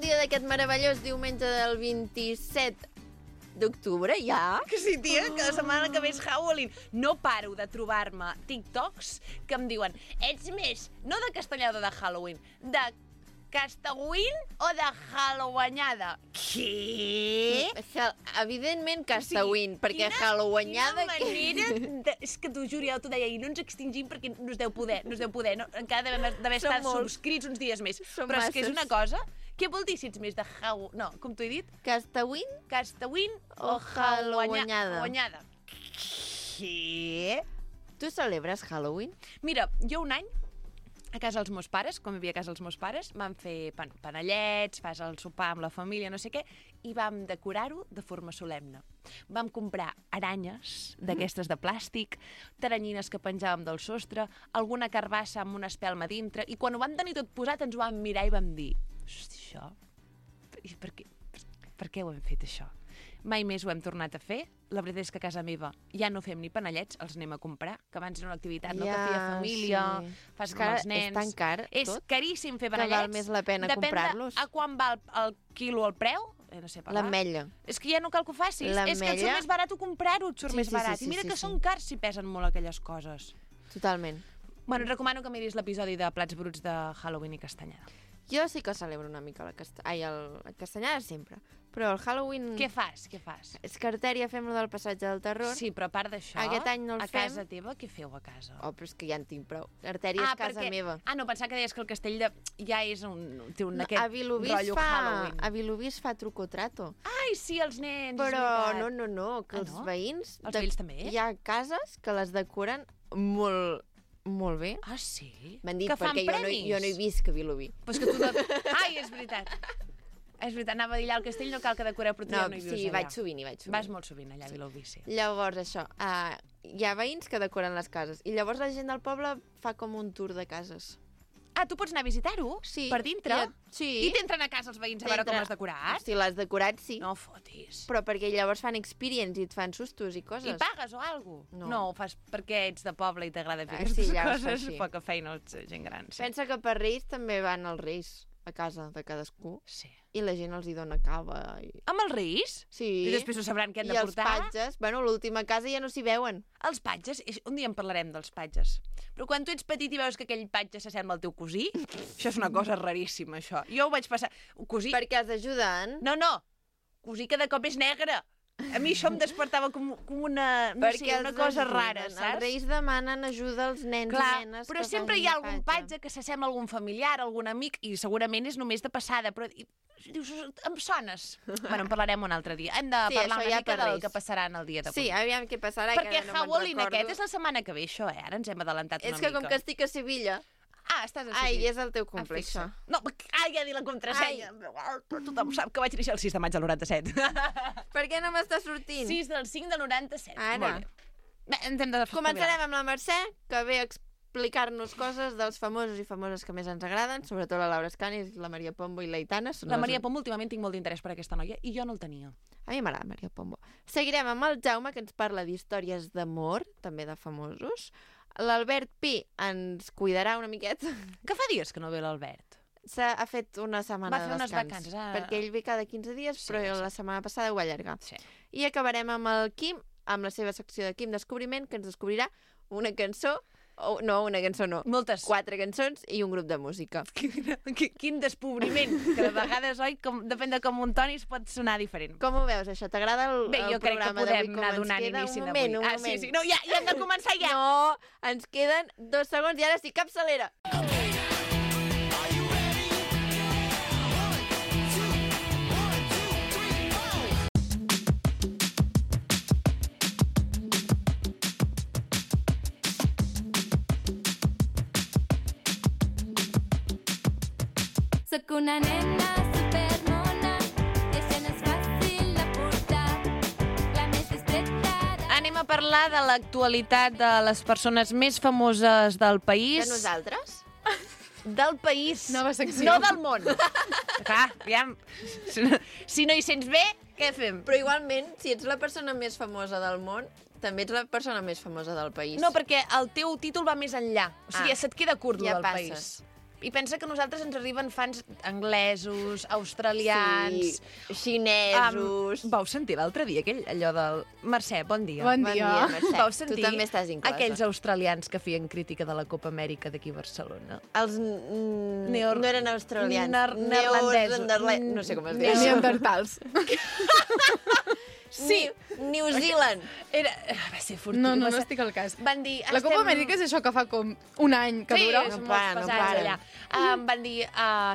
dia d'aquest meravellós diumenge del 27 d'octubre, ja? Que sí, tia, que la setmana que ve és Halloween. No paro de trobar-me TikToks que em diuen ets més, no de castellada de Halloween, de Castawin o de Halloweenada? Què? Evidentment Castawin, perquè Halloweenada... Quina manera... És que t'ho juro, ja t'ho deia, i no ens extingim perquè no es deu poder. No? Encara d'haver estat subscrits uns dies més. Però és que és una cosa... Què vol dir si ets més de Halloween? No, com t'ho he dit? Castawin o Halloweenada. Què? Tu celebres Halloween? Mira, jo un any, a casa dels meus pares, quan vivia a casa dels meus pares, vam fer panellets, fas el sopar amb la família, no sé què, i vam decorar-ho de forma solemne. Vam comprar aranyes d'aquestes de plàstic, taranyines que penjàvem del sostre, alguna carbassa amb una espelma dintre, i quan ho vam tenir tot posat ens ho vam mirar i vam dir hosti, això? Per què ho hem fet, això? Mai més ho hem tornat a fer. La veritat és que a casa meva ja no fem ni panellets, els anem a comprar, que abans era una activitat que feia família, fas amb els nens. És tan car, tot. És caríssim fer panellets. Que val més la pena comprar-los. Depèn a quan val el quilo el preu, no sé parlar. L'ametlla. És que ja no cal que ho facis. És que et surt més barat comprar-ho, et surt més barat. I mira que són cars si pesen molt aquelles coses. Totalment. Bueno, et recomano que miris l'episodi de Plats Bruts de Halloween i Castanyada. Jo sí que celebro una mica el Castanyada sempre, però el Halloween... Què fas? És que Artèria fem lo del passatge del terror. Sí, però a part d'això, aquest any no el fem. A casa teva, què feu a casa? Oh, però és que ja en tinc prou. Artèria és casa meva. No, pensava que deies que el castell ja és té aquest rotllo Halloween. A Vilobí es fa truco trato. Ai, sí, els nens, però no, que els veïns... Els veïns també? Hi ha cases que les decoren molt bé. Ah, sí? M'han dit perquè jo no he vist que Vilobí. Pues que tu... Ai, és veritat. És veritat, anava a dir allà al castell no cal que decoreu, però tu ja no hi vius allà. Sí, vaig sovint. Vas molt sovint allà a Vilobí, sí. Llavors, això, hi ha veïns que decoren les cases i llavors la gent del poble fa com un tour de cases. Ah, tu pots anar a visitar-ho? Sí. Per dintre? Sí. I t'entren a casa els veïns a veure com l'has decorat? Si l'has decorat, sí. No fotis. Però perquè llavors fan experience i et fan sustos i coses. I pagues o alguna cosa? No, ho fas perquè ets de poble i t'agrada fer aquestes coses. Poca feina, ets gent gran. Sí. Pensa que per Reis també van els Reis a casa de cadascú. Sí. I la gent els hi dona cava. Amb els Reis? Sí. I després no sabran què han de portar? I els patges, l'última casa ja no s'hi veuen. Els patges, un dia en parlarem dels patges. Però quan tu ets petit i veus que aquell patge s'assembla al teu cosí, això és una cosa raríssima, això. Jo ho vaig passar... Cosí... Perquè els ajuden? No. Cosí cada cop és negre. A mi això em despertava com una... No sé, una cosa rara, saps? Els Reis demanen ajuda als nens i nenes. Però sempre hi ha algun patge que s'assembla a algun familiar, algun amic, i segurament és només de passada, però... Dius, em sones. Bueno, en parlarem un altre dia. Hem de parlar una mica del que passarà en el dia d'avui. Sí, aviam què passarà. Perquè Halloween aquest és la setmana que ve, això, Ara ens hem adelantat una mica. És que com que estic a Sevilla... Estàs a Sevilla. És el teu cumple, això. No, ja he dit la contrasenya. Tothom sap que vaig néixer el 6 de maig del 97. Per què no m'està sortint? 6 del 5 del 97. Ara. Començarem amb la Mercè, que ve a explicar-nos coses dels famosos i famoses que més ens agraden, sobretot la Laura Escanis, la Maria Pombo i l'Aitana. La Maria Pombo, últimament tinc molt d'interès per aquesta noia, i jo no el tenia. A mi m'agrada Maria Pombo. Seguirem amb el Jaume, que ens parla d'històries d'amor, també de famosos. L'Albert Pi ens cuidarà una miqueta. Que fa dies que no ve l'Albert? Ha fet una setmana de descans. Va fer unes vacances. Perquè ell ve cada 15 dies, però la setmana passada ho va allargar. Sí. I acabarem amb el Quim, amb la seva secció de Quim Descobriment, que ens descobrirà una cançó, una cançó no. Moltes. 4 cançons i un grup de música. Quin descobriment, que de vegades, oi, depèn de com un toni es pot sonar diferent. Com ho veus, això? T'agrada el programa d'avui? Bé, jo crec que podem anar donant inici d'avui. Un moment. Sí. No, ja hem de començar ja. No, ens queden 2 segons i ara sí, capçalera. Soc una nena supermona i això no és fàcil de portar. La més discreta... Anem a parlar de l'actualitat de les persones més famoses del país. De nosaltres? Del país. Nova secció. No del món. Clar, aviam. Si no hi sents bé, què fem? Però igualment, si ets la persona més famosa del món, també ets la persona més famosa del país. No, perquè el teu títol va més enllà. O sigui, se't queda curt, ja del passes. país. I pensa que a nosaltres ens arriben fans anglesos, australians... Sí, xinesos... Vau sentir l'altre dia allò del... Mercè, bon dia. Bon Bon dia. dia, Mercè. Vau sentir Tu també estàs inclosa. aquells australians que feien crítica de la Copa Amèrica d'aquí a Barcelona? Els... no eren australians. Neerlandesos. No sé com es diu. Neandertals. Sí. New Zealand. Va ser furtiu. No estic al cas. Van dir... La Copa Amèrica és això que fa com un any que Sí, dura. és No molt para, no pesats para. allà. Van dir,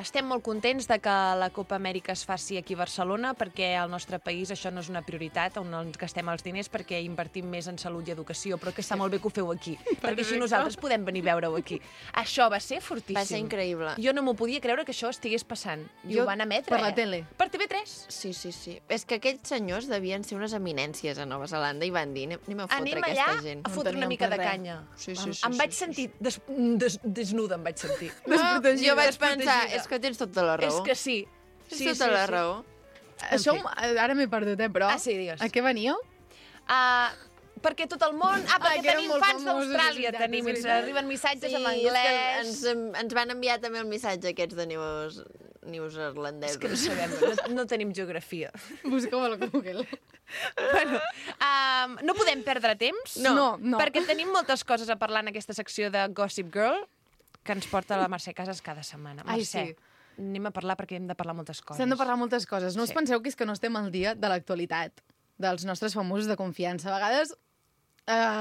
estem molt contents de que la Copa Amèrica es faci aquí a Barcelona perquè al nostre país això no és una prioritat, on ens gastem els diners perquè invertim més en salut i educació, però que està molt bé que ho feu aquí, perquè així nosaltres podem venir a veure-ho aquí. Això va ser fortíssim. Va ser increïble. Jo no m'ho podia creure que això estigués passant. I Jo ho van emetre, per la tele. Per TV3. Sí. És que aquells senyors devien ser unes eminències a Nova Zelanda i van dir, anem a fotre Anem aquesta allà gent. a fotre una teníem mica per de res. canya. Sí, Em vaig sentir desnuda, em vaig sentir. Jo vaig pensar, Desprotegida. és que tens tota la raó. És que sí. Tens tota la raó. Això ara m'he perdut, però... Ah, sí, digues. A què veníeu? Perquè tot el món... perquè que eren tenim molt fans famosos, d'Austràlia, és veritat, tenim, és ens veritat. arriben missatges en és que anglès... ens van enviar també el missatge aquests de neozelandesos. És que no sabem, no tenim geografia. Busqueu a la Google. Bueno, no podem perdre temps, No. perquè tenim moltes coses a parlar en aquesta secció de Gossip Girl, que ens porta la Mercè Casas cada setmana. Ai, Mercè, sí. anem a parlar perquè hem de parlar moltes coses. S'han de parlar moltes coses. No us Sí. penseu que és que no estem al dia de l'actualitat dels nostres famosos de confiança. A vegades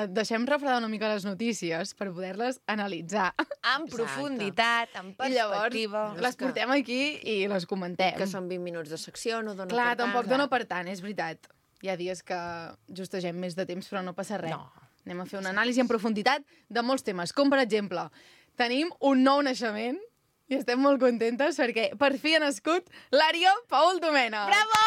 deixem refredar una mica les notícies per poder-les analitzar. En profunditat, en perspectiva... I llavors les portem aquí i les comentem. Que són 20 minuts de secció, no dona Clar, per tant. tampoc dona per tant, és veritat. Hi ha dies que justegem més de temps, però no passa res. No. Anem a fer una anàlisi en profunditat de molts temes, com per exemple, tenim un nou naixement i estem molt contentes perquè per fi ha nascut l'Ària Paul Domènech. Bravo!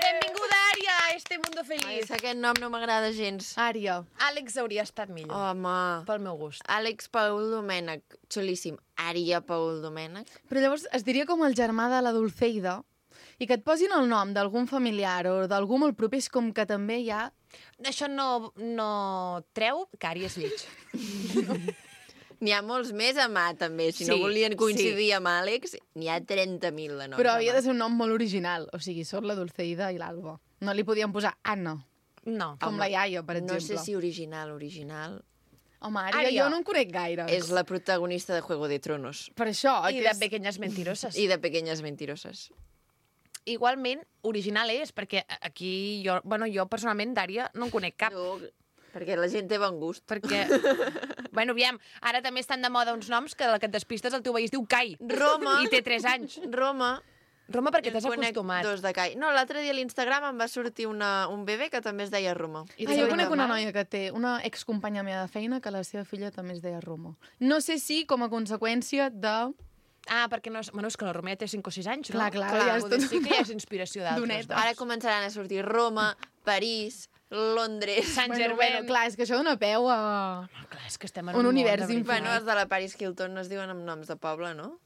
Benvinguda, Ària, a este mundo Ai, feliz. és que aquest nom no m'agrada gens. Ària. Àlex hauria estat millor, Home. pel meu gust. Àlex Paul Domènech, xulíssim. Ària Paul Domènech. Però llavors es diria com el germà de la Dulceida i que et posin el nom d'algun familiar o d'algú molt proper és com que també hi ha... Això no treu que Ària és lleig. N'hi ha molts més a mà, també. Si no Sí, volien coincidir amb Àlex, n'hi ha 30.000 de noms. Però a havia mà. de ser un nom molt original. O sigui, sóc la Dulceida i l'Alba. No li podien posar Anna, No. com la iaia, per No exemple. sé si original. Home, Ària, Ària. jo no en conec gaire. És la protagonista de Juego de Tronos. Per això, I que de és... pequeñas mentiroses. I de Pequeñas Mentiroses. Igualment, original és, perquè aquí jo personalment d'Ària no en conec cap. Perquè la gent té bon gust. Perquè, bueno, aviam, ara també estan de moda uns noms que la que et despistes el teu veí es diu Kai. Roma. I té 3 anys. Roma. Roma, perquè En t'has conec acostumat. dos de Cai. No, l'altre dia a l'Instagram em va sortir un bebè que també es deia Roma. Ah, jo conec una noia que té, una excompanya meva de feina, que la seva filla també es deia Romo. No sé si com a conseqüència de... Ah, perquè no és... Bueno, és que la Romea té 5 o 6 anys, no? Clar, ja és poder tot- sí que hi ha inspiració d'altres. Doneta. Doncs. Ara començaran a sortir Roma, París, Londres... Sant Bueno, Germain. clar, és que això dona peu a... Clar, és que estem en Un un univers món de veritat. Bueno, els de la Paris Hilton no es diuen amb noms de poble, no?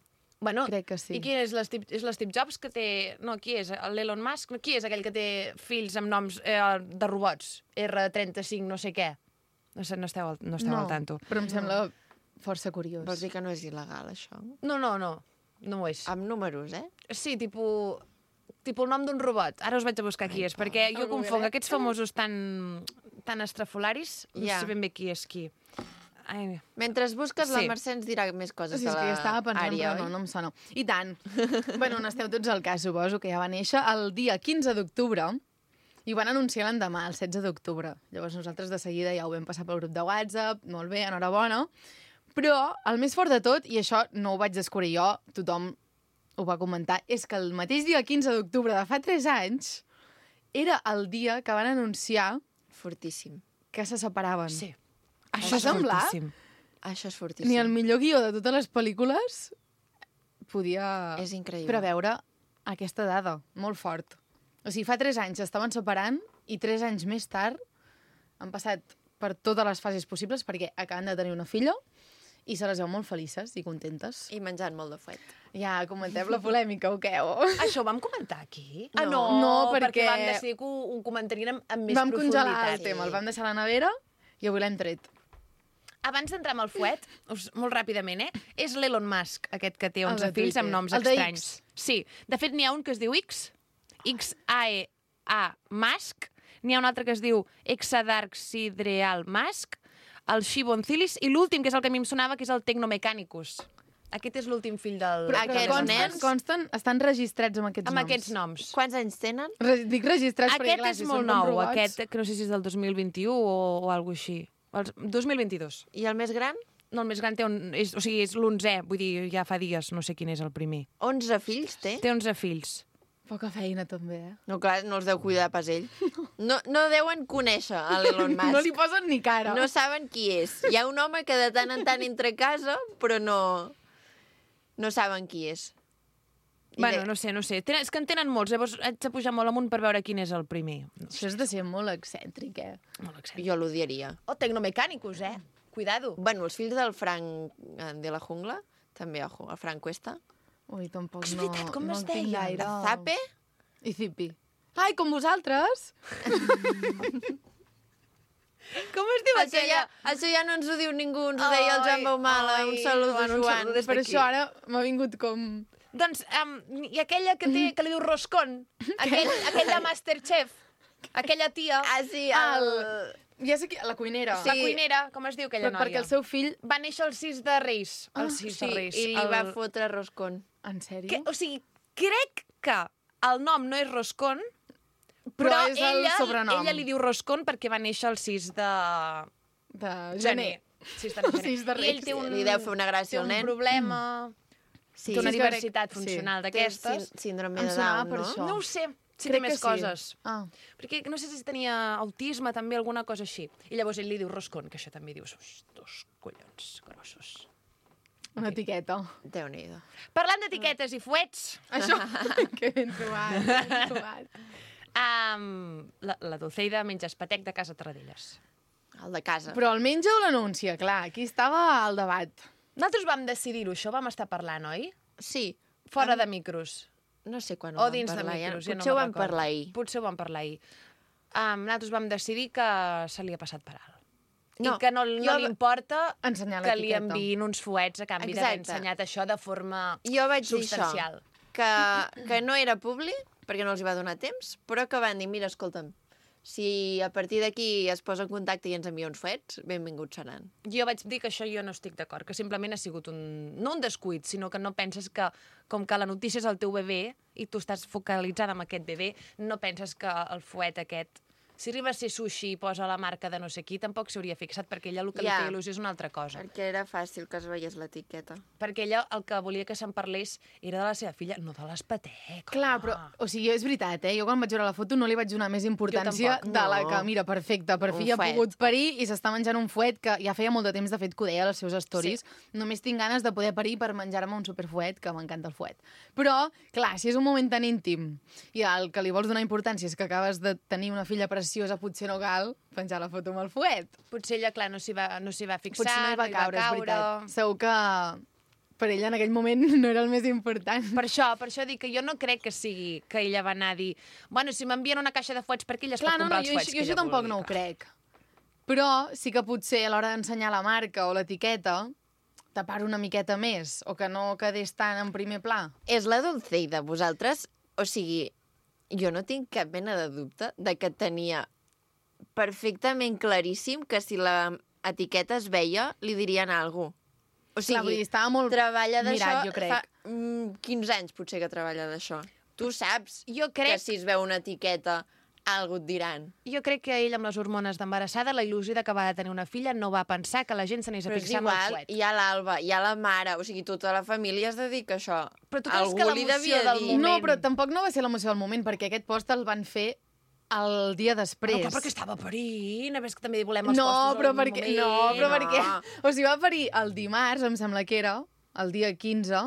Bueno, Crec que sí. I qui és l'Steve Jobs que té... No, qui és? L'Elon Musk? No, qui és aquell que té fills amb noms de robots? R35 no sé què. No sé, no esteu al tanto. però em sembla força curiós. Vols dir que no és il·legal, això? No ho és. Amb números, eh? Sí, tipus el nom d'un robot. Ara us vaig a buscar qui és, perquè jo confonc aquests famosos tan estrafolaris, no Ja. sé ben bé qui és qui. Ai, Mentre busques, la Sí. Mercè ens dirà més coses Sí, de és que la jo estava pensant, àrea, però oi? no em sona. I tant. Bueno, n'esteu tots al cas, suposo, que ja va néixer el dia 15 d'octubre i ho van anunciar l'endemà, el 16 d'octubre. Llavors nosaltres de seguida ja ho vam passar pel grup de WhatsApp, molt bé, enhorabona. Però el més fort de tot, i això no ho vaig descobrir jo, tothom ho va comentar, és que el mateix dia 15 d'octubre de fa 3 anys era el dia que van anunciar Fortíssim. que se separaven. sí. Això semblar? fortíssim. Això és fortíssim. Ni el millor guió de totes les pel·lícules podia És increïble. preveure aquesta dada, molt fort. O sigui, fa 3 anys estaven separant i 3 anys més tard han passat per totes les fases possibles perquè acaben de tenir una filla i se les veu molt felices i contentes. I menjant molt de fuet. Ja, comentem la polèmica, o què? Això ho vam comentar aquí? No. No, perquè perquè vam decidir que ho comentaríem amb més Vam profunditat. congelar el tema, el vam deixar a la nevera i avui l'hem tret. abans d'entrar amb el fuet, molt ràpidament, és l'Elon Musk, aquest que té 11 fills amb noms El de estranys. Sí, de fet n'hi ha un que es diu X-A-E-A Musk, n'hi ha un altre que es diu Exadarxidreal Musk, el Shibonzilis, i l'últim, que és el que a mi em sonava, que és el Tecnomechanicus. Aquest és l'últim fill del... Però consten, estan registrats amb aquests noms. Amb aquests noms. Quants anys tenen? Dic registrats perquè, clar, Aquest és molt nou, aquest, que no sé si és del 2021 o alguna així. El 2022. I el més gran? No, el més gran té és l'11è, vull dir, ja fa dies, no sé quin és el primer. 11 fills té? Té 11 fills. Poca feina, també, No, clar, no els deu cuidar pas ell. No deuen conèixer a l'Elon Musk. No li posen ni cara. No saben qui és. Hi ha un home que de tant en tant entra a casa, però no saben qui és. Bueno, no sé. És que en tenen molts, llavors haig de pujar molt amunt per veure quin és el primer. Això és de ser molt excèntric, Molt excèntric. Jo l'odiaria. O Tecnomechanicus, Cuidado. Bueno, els fills del Frank de la Jungla, també, ojo, el Frank Cuesta. Ui, tampoc És veritat, com es deia? gaire. Zape? I Zipi. Ai, com vosaltres? Com es diu aquella? Això ja no ens ho diu ningú, ens ho deia el Joan Baumala, un saludo, Joan. Per això ara m'ha vingut com... Doncs, i aquella que li diu Roscon, aquell de Masterchef, aquella tia... Ah, sí, Ja sé qui... La cuinera. Sí. La cuinera, com es diu aquella noia? Perquè el seu fill... Va néixer el 6 de Reis. El 6 de Reis. I li va fotre Roscon. En sèrio? O sigui, crec que el nom no és Roscon, però és el sobrenom. Ella li diu Roscon perquè va néixer el 6 de gener. 6 de gener. 6 de Reis. I ell té Li deu fer una gràcia al nen. Té un problema... Sí, té una diversitat funcional d'aquestes. Síndrome de Down, per no? això. No ho sé. Si Crec té més que sí. coses. Perquè no sé si tenia autisme, també, alguna cosa així. I llavors ell li diu Roscon, que això també dius, dos collons grossos. Una etiqueta. Déu-n'hi-do. Parlant d'etiquetes i fuets... Això, que ben trobat. La Dulceida menja espatec de casa Tarradellas. El de casa. Però el menja o l'anuncia? Clar, aquí estava el debat. Nosaltres vam decidir-ho, això vam estar parlant, oi? Sí. Fora de micros. No sé quan o dins de micros, Potser ho vam parlar ahir. Potser ho vam parlar ahir. Nosaltres vam decidir que se li ha passat per alt. No, I que no li importa que li l'etiqueta. enviïn uns fuets a canvi d'haver ensenyat això de forma substancial. Que no era publi, perquè no els hi va donar temps, però que van dir, mira, escolta'm, si a partir d'aquí es posa en contacte i ens envia uns fuets, benvinguts seran. Jo vaig dir que això jo no estic d'acord, que simplement ha sigut no un descuit, sinó que no penses que, com que la notícia és el teu bebè i tu estàs focalitzada en aquest bebè, no penses que el fuet aquest... Si arriba a ser sushi i posa la marca de no sé qui, tampoc s'hauria fixat, perquè ella el que li feia il·lusió és una altra cosa. Perquè era fàcil que es veiés l'etiqueta. Perquè ella el que volia que se'n parlés era de la seva filla, no de l'espatec. Clar, però, o sigui, és veritat, jo quan vaig veure la foto no li vaig donar més importància de la que, mira, perfecte, per fi ha pogut parir i s'està menjant un fuet que ja feia molt de temps, de fet, que ho deia als seus stories. Sí. Només tinc ganes de poder parir per menjar-me un superfuet, que m'encanta el fuet. Però, clar, si és un moment tan íntim i el que li vols donar importància és que acabes de tenir una filla preciosa, potser no cal penjar la foto amb el fuet. Potser ella, clar, no s'hi va fixar, potser no hi va caure. És veritat. Segur que per ella en aquell moment no era el més important. Per això dic que jo no crec que sigui que ella va anar a dir bueno, si m'envien una caixa de fuets perquè ella es pot comprar els fuets que ella vulgui. Jo tampoc no ho crec. Però sí que potser a l'hora d'ensenyar la marca o l'etiqueta tapar una miqueta més o que no quedés tant en primer pla. És la Dulceida, vosaltres, o sigui, jo no tinc cap mena de dubte de que tenia perfectament claríssim que si la etiqueta es veia, li dirien alguna cosa. O sigui, clar, vull dir, estava molt treballa d'això mirat, jo crec. Fa 15 anys potser que treballa d'això. Tu saps jo crec... que si es veu una etiqueta algú et diran. Jo crec que ell amb les hormones d'embarassada, la il·lusió d'acabar de tenir una filla, no va pensar que la gent s'anés a fixar en el fuet. Hi ha l'Alba, hi ha la mare, o sigui, tota la família es dedica a això. Però tu creus que l'emoció del moment... No, però tampoc no va ser l'emoció del moment, perquè aquest post el van fer el dia després. No, perquè estava parint, a més que també volem els postos al moment. Perquè... O sigui, va parir el dimarts, em sembla que era, el dia 15,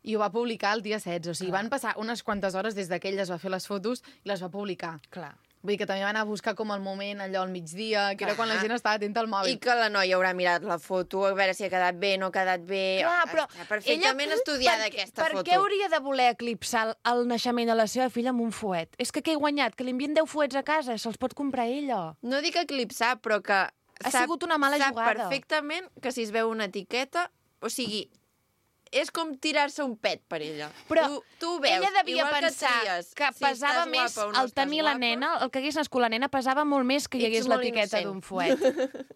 i ho va publicar el dia 16. O sigui, van passar unes quantes hores des que ell es va fer les fotos i les va publicar. Clar. Vull dir que també va anar a buscar com el moment, allò al migdia, que era quan la gent estava atenta al mòbil. I que la noia haurà mirat la foto, a veure si ha quedat bé, no ha quedat bé... Clar, però està perfectament estudiada aquesta foto. Per què hauria de voler eclipsar el naixement de la seva filla amb un fuet? És que què he guanyat? Que li envien 10 fuets a casa, se'ls pot comprar ella. No dic eclipsar, però que Ha sigut una mala sap jugada. perfectament que si es veu una etiqueta... O sigui, és com tirar-se un pet per ella. Però tu ho veus, ella devia igual pensar tries, que si pesava estàs més guapa o no el tenir la estàs nena, el que hagués nascut la nena, pesava molt més que hi Ets hagués molt l'etiqueta innocent. d'un fuet.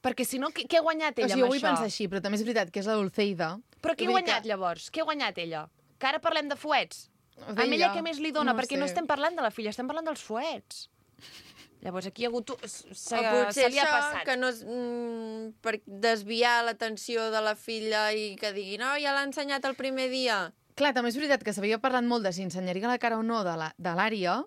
Perquè si no, què ha guanyat ella O sigui, jo amb vull això? pensar així, però també és veritat que és la Dulceida. Però què ha Vull dir guanyat, llavors? Què ha guanyat ella? Que ara parlem de fuets? D'ella, Amb ella què més li dona? no Perquè sé. no estem parlant de la filla, estem parlant dels fuets. Llavors aquí hi ha hagut... O potser Se li ha això, passat. que no és, per desviar l'atenció de la filla i que digui, no, ja l'ha ensenyat el primer dia. Clar, també és veritat que s'havia parlat molt de si ensenyaria la cara o no de l'àrea,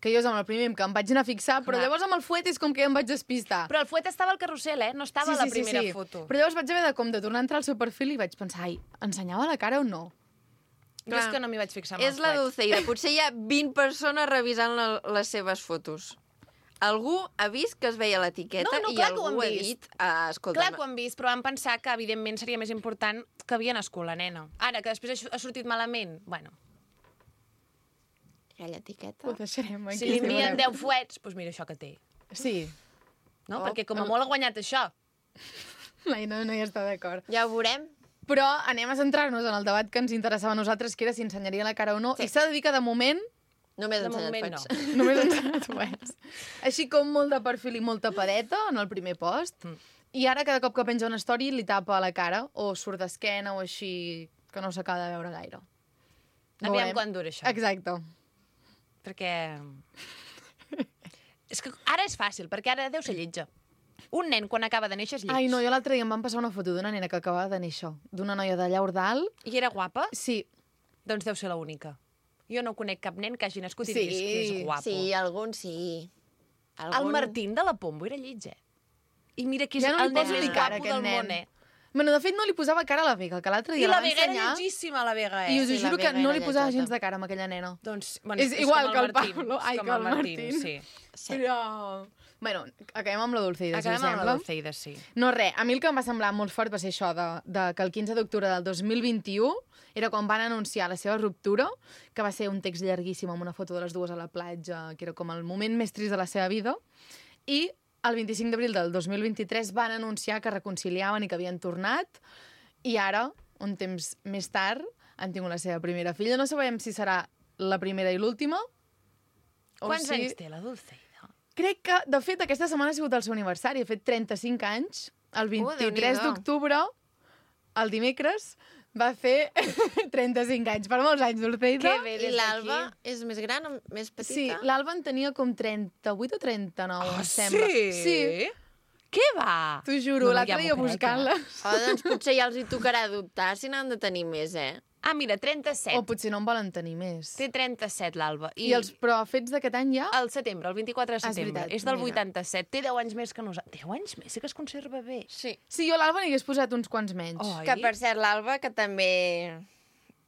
que jo és amb el primer que em vaig anar a fixar, però Clar. llavors amb el fuet és com que ja em vaig despistar. Però el fuet estava al carrusel, No estava a la primera foto. Però llavors vaig haver de tornar a entrar al seu perfil i vaig pensar, ai, ensenyava la cara o no? Jo és que no m'hi vaig fixar amb És el la fuet. Dulceida. Potser hi ha 20 persones revisant les seves fotos. Algú ha vist que es veia l'etiqueta No, i clar que ho algú han ha vist. dit, escolta, Clar que ho han vist, però vam pensar que, evidentment, seria més important que havia nascut la nena. Ara, que després ha sortit malament, bueno, aquella etiqueta... Ho deixarem aquí. si li envien 10 fuets, doncs mira això que té. Sí, No? Oh, Perquè com a molt ha guanyat això. l'Aina no hi està d'acord. Ja ho veurem. Però anem a centrar-nos en el debat que ens interessava a nosaltres, que era si ensenyaria la cara o no. Sí. I s'ha de dir que, de moment, Només De ensenyat moment, pets. no. només ha ensenyat fuets. Així com molt de perfil i molta padeta en el primer post. I ara, cada cop que penja una story, li tapa la cara, o surt d'esquena, o així, que no s'acaba de veure gaire. Aviam Veurem. quan dura això. Exacte. Perquè... És que ara és fàcil, perquè ara deu ser lletja. Un nen, quan acaba de néixer, és lleig. Ai, no, jo l'altre dia em van passar una foto d'una nena que acabava de néixer, d'una noia de llaur dalt. I era guapa? Sí, Doncs deu ser l'única. Jo no conec cap nen que hagi nascut i Sí, diguis que és guapo. Sí, algun sí. El Martín de la Pombo era lleig, I mira que és Ja no li el nen poso més ni cara, guapo aquest del nen. món, Bueno, de fet, no li posava cara a la Vega, que l'altre I dia la va Vega era ensenyar. lletgíssima, la Vega, I us ho Sí, la juro que Vega no era li posava lletjota. gens de cara a aquella nena. Doncs, bueno, És igual com que el Martín, Pablo. Ai, com que el Martín. sí. Sí. Però... Bueno, acabem amb la Dulceida, si us Acabem amb la sembla. Dulceida, sí. No, res, a mi el que em va semblar molt fort va ser això, de que el 15 d'octubre del 2021 era quan van anunciar la seva ruptura, que va ser un text llarguíssim amb una foto de les dues a la platja, que era com el moment més trist de la seva vida, i el 25 d'abril del 2023 van anunciar que reconciliaven i que havien tornat, i ara, un temps més tard, han tingut la seva primera filla. No sabem si serà la primera i l'última, o Quants si... anys té la Dulceida? Crec que, de fet, aquesta setmana ha sigut el seu aniversari. Ha fet 35 anys. El 23 Déu-n'hi-do. d'octubre, el dimecres, va fer 35 anys. Per molts anys, Dulceida. Que bé, I des l'Alba d'aquí. és més gran, més petita? Sí, l'Alba en tenia com 38 o 39, em sembla. Sí? Què va? T'ho juro, No, no, l'altre ja dia m'ho crec, buscant-la. Oh, doncs potser ja els hi tocarà adoptar, si n'han de tenir més, Ah, mira, 37. O potser no en volen tenir més. Té 37, l'Alba. I els però fets d'aquest any ja? Al setembre, el 24 de Ah, és setembre. veritat, És del mira. 87. Té 10 anys més que nosaltres. 10 anys més? Sí que es conserva bé. Sí. Sí, jo a l'Alba n'hi hagués posat uns quants menys. Oi? Que, per cert, l'Alba, que també...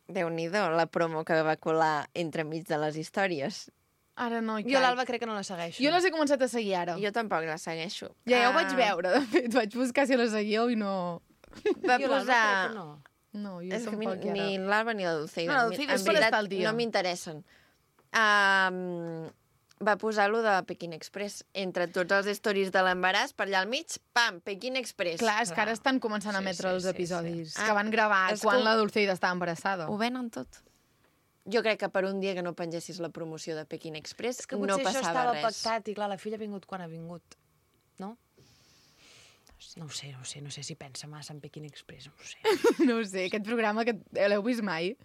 Déu-n'hi-do, la promo que va colar entremig de les històries. Ara no hi Jo caic. l'Alba crec que no la segueixo. Jo les he començat a seguir ara. Jo tampoc la segueixo. Ja ho vaig veure, de fet. Vaig buscar si la seguíeu i no... Va Jo l'Alba posar... crec que no. No, jo És que tampoc ja ni l'Alba ni la Dulceida. No, la Dulceida en és per veritat, estar al dia. no m'interessen. Va posar-lo de Peking Express. Entre tots els stories de l'embaràs, per allà al mig, pam, Peking Express. Clar, és que ara estan començant a Sí, emetre sí, els sí, episodis sí. que van gravar És quan com- la Dulceida estava embarassada. Ho venen tot. Jo crec que per un dia que no pengessis la promoció de Peking Express És que no potser això passava estava res. pactat i, clar, la filla ha vingut quan ha vingut. No? No ho sé si pensa massa en Peking Express, no ho sé. No ho sé, aquest programa que l'heu vist mai?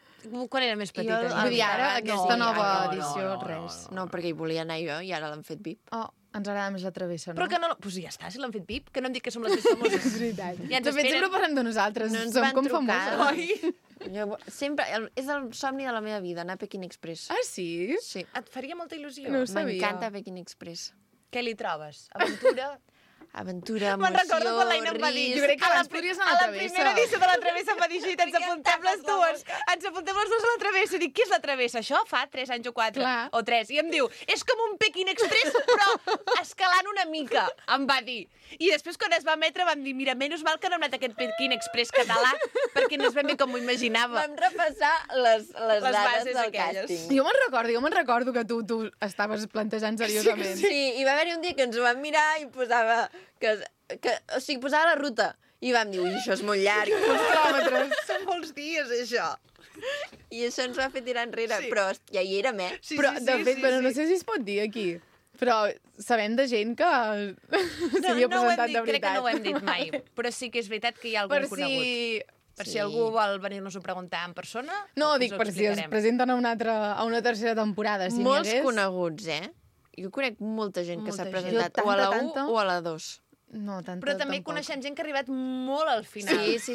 Quan era més petita. Jo- jo. Vull dir, ara, no, aquesta nova no, edició, res. No, perquè hi volia anar jo i ara l'han fet VIP. Oh, ens agrada més la travessa, no? Però que no... Pues ja està, si l'han fet VIP, que no em dic que som les més famoses. És veritat. Ja ens de fet, esperen. sempre parlem de nosaltres. No ens Som van com trucar, famoses. Jo, sempre, és el somni de la meva vida, anar a Peking Express. Ah, sí? Sí. Et faria molta il·lusió. No ho sabia. M'encanta Peking Express. Què li trobes? Aventura? Aventura, emoció, Me'n recordo quan l'Aina em va dir... Jo crec que a la abans podries anar a a la la travessa. primera edició de la travessa em va dir així, ens apuntem les dues. Ens apuntem les dues a la travessa. Dic, què és la travessa? Això fa 3 anys o 4. Clar. O 3. I em diu, és com un Peking Express, però escalant una mica, em va dir. I després, quan es va emetre, vam dir, mira, menys mal que no hem anat a aquest Peking Express català, perquè no és ben bé com m'ho imaginava. Vam repassar les dades bases del aquelles. càsting. Jo me'n recordo que tu estaves plantejant seriosament. Sí, i va haver-hi un dia que ens ho vam mirar i posava que O sigui, posava la ruta. I vam dir, ui, això és molt llarg. Uns quilòmetres. Són molts dies, això. I això ens va fer tirar enrere. Sí. Però ja hi era, Sí, Però, de fet, bueno, no sé si es pot dir aquí, però sabem de gent que s'havia presentat de veritat. Crec que no ho hem dit mai, però sí que és veritat que hi ha algun Per conegut. si... Per si algú vol venir-nos-ho preguntar en persona, No, us dic, ho per si es explicarem. presenten a una tercera temporada. Si Molts n'hi hagués... coneguts, Jo conec molta gent que s'ha Molta gent. presentat Jo o a la 1 tanta. o a la 2. No, tanta, Però també tampoc. coneixem gent que ha arribat molt al final. Sí.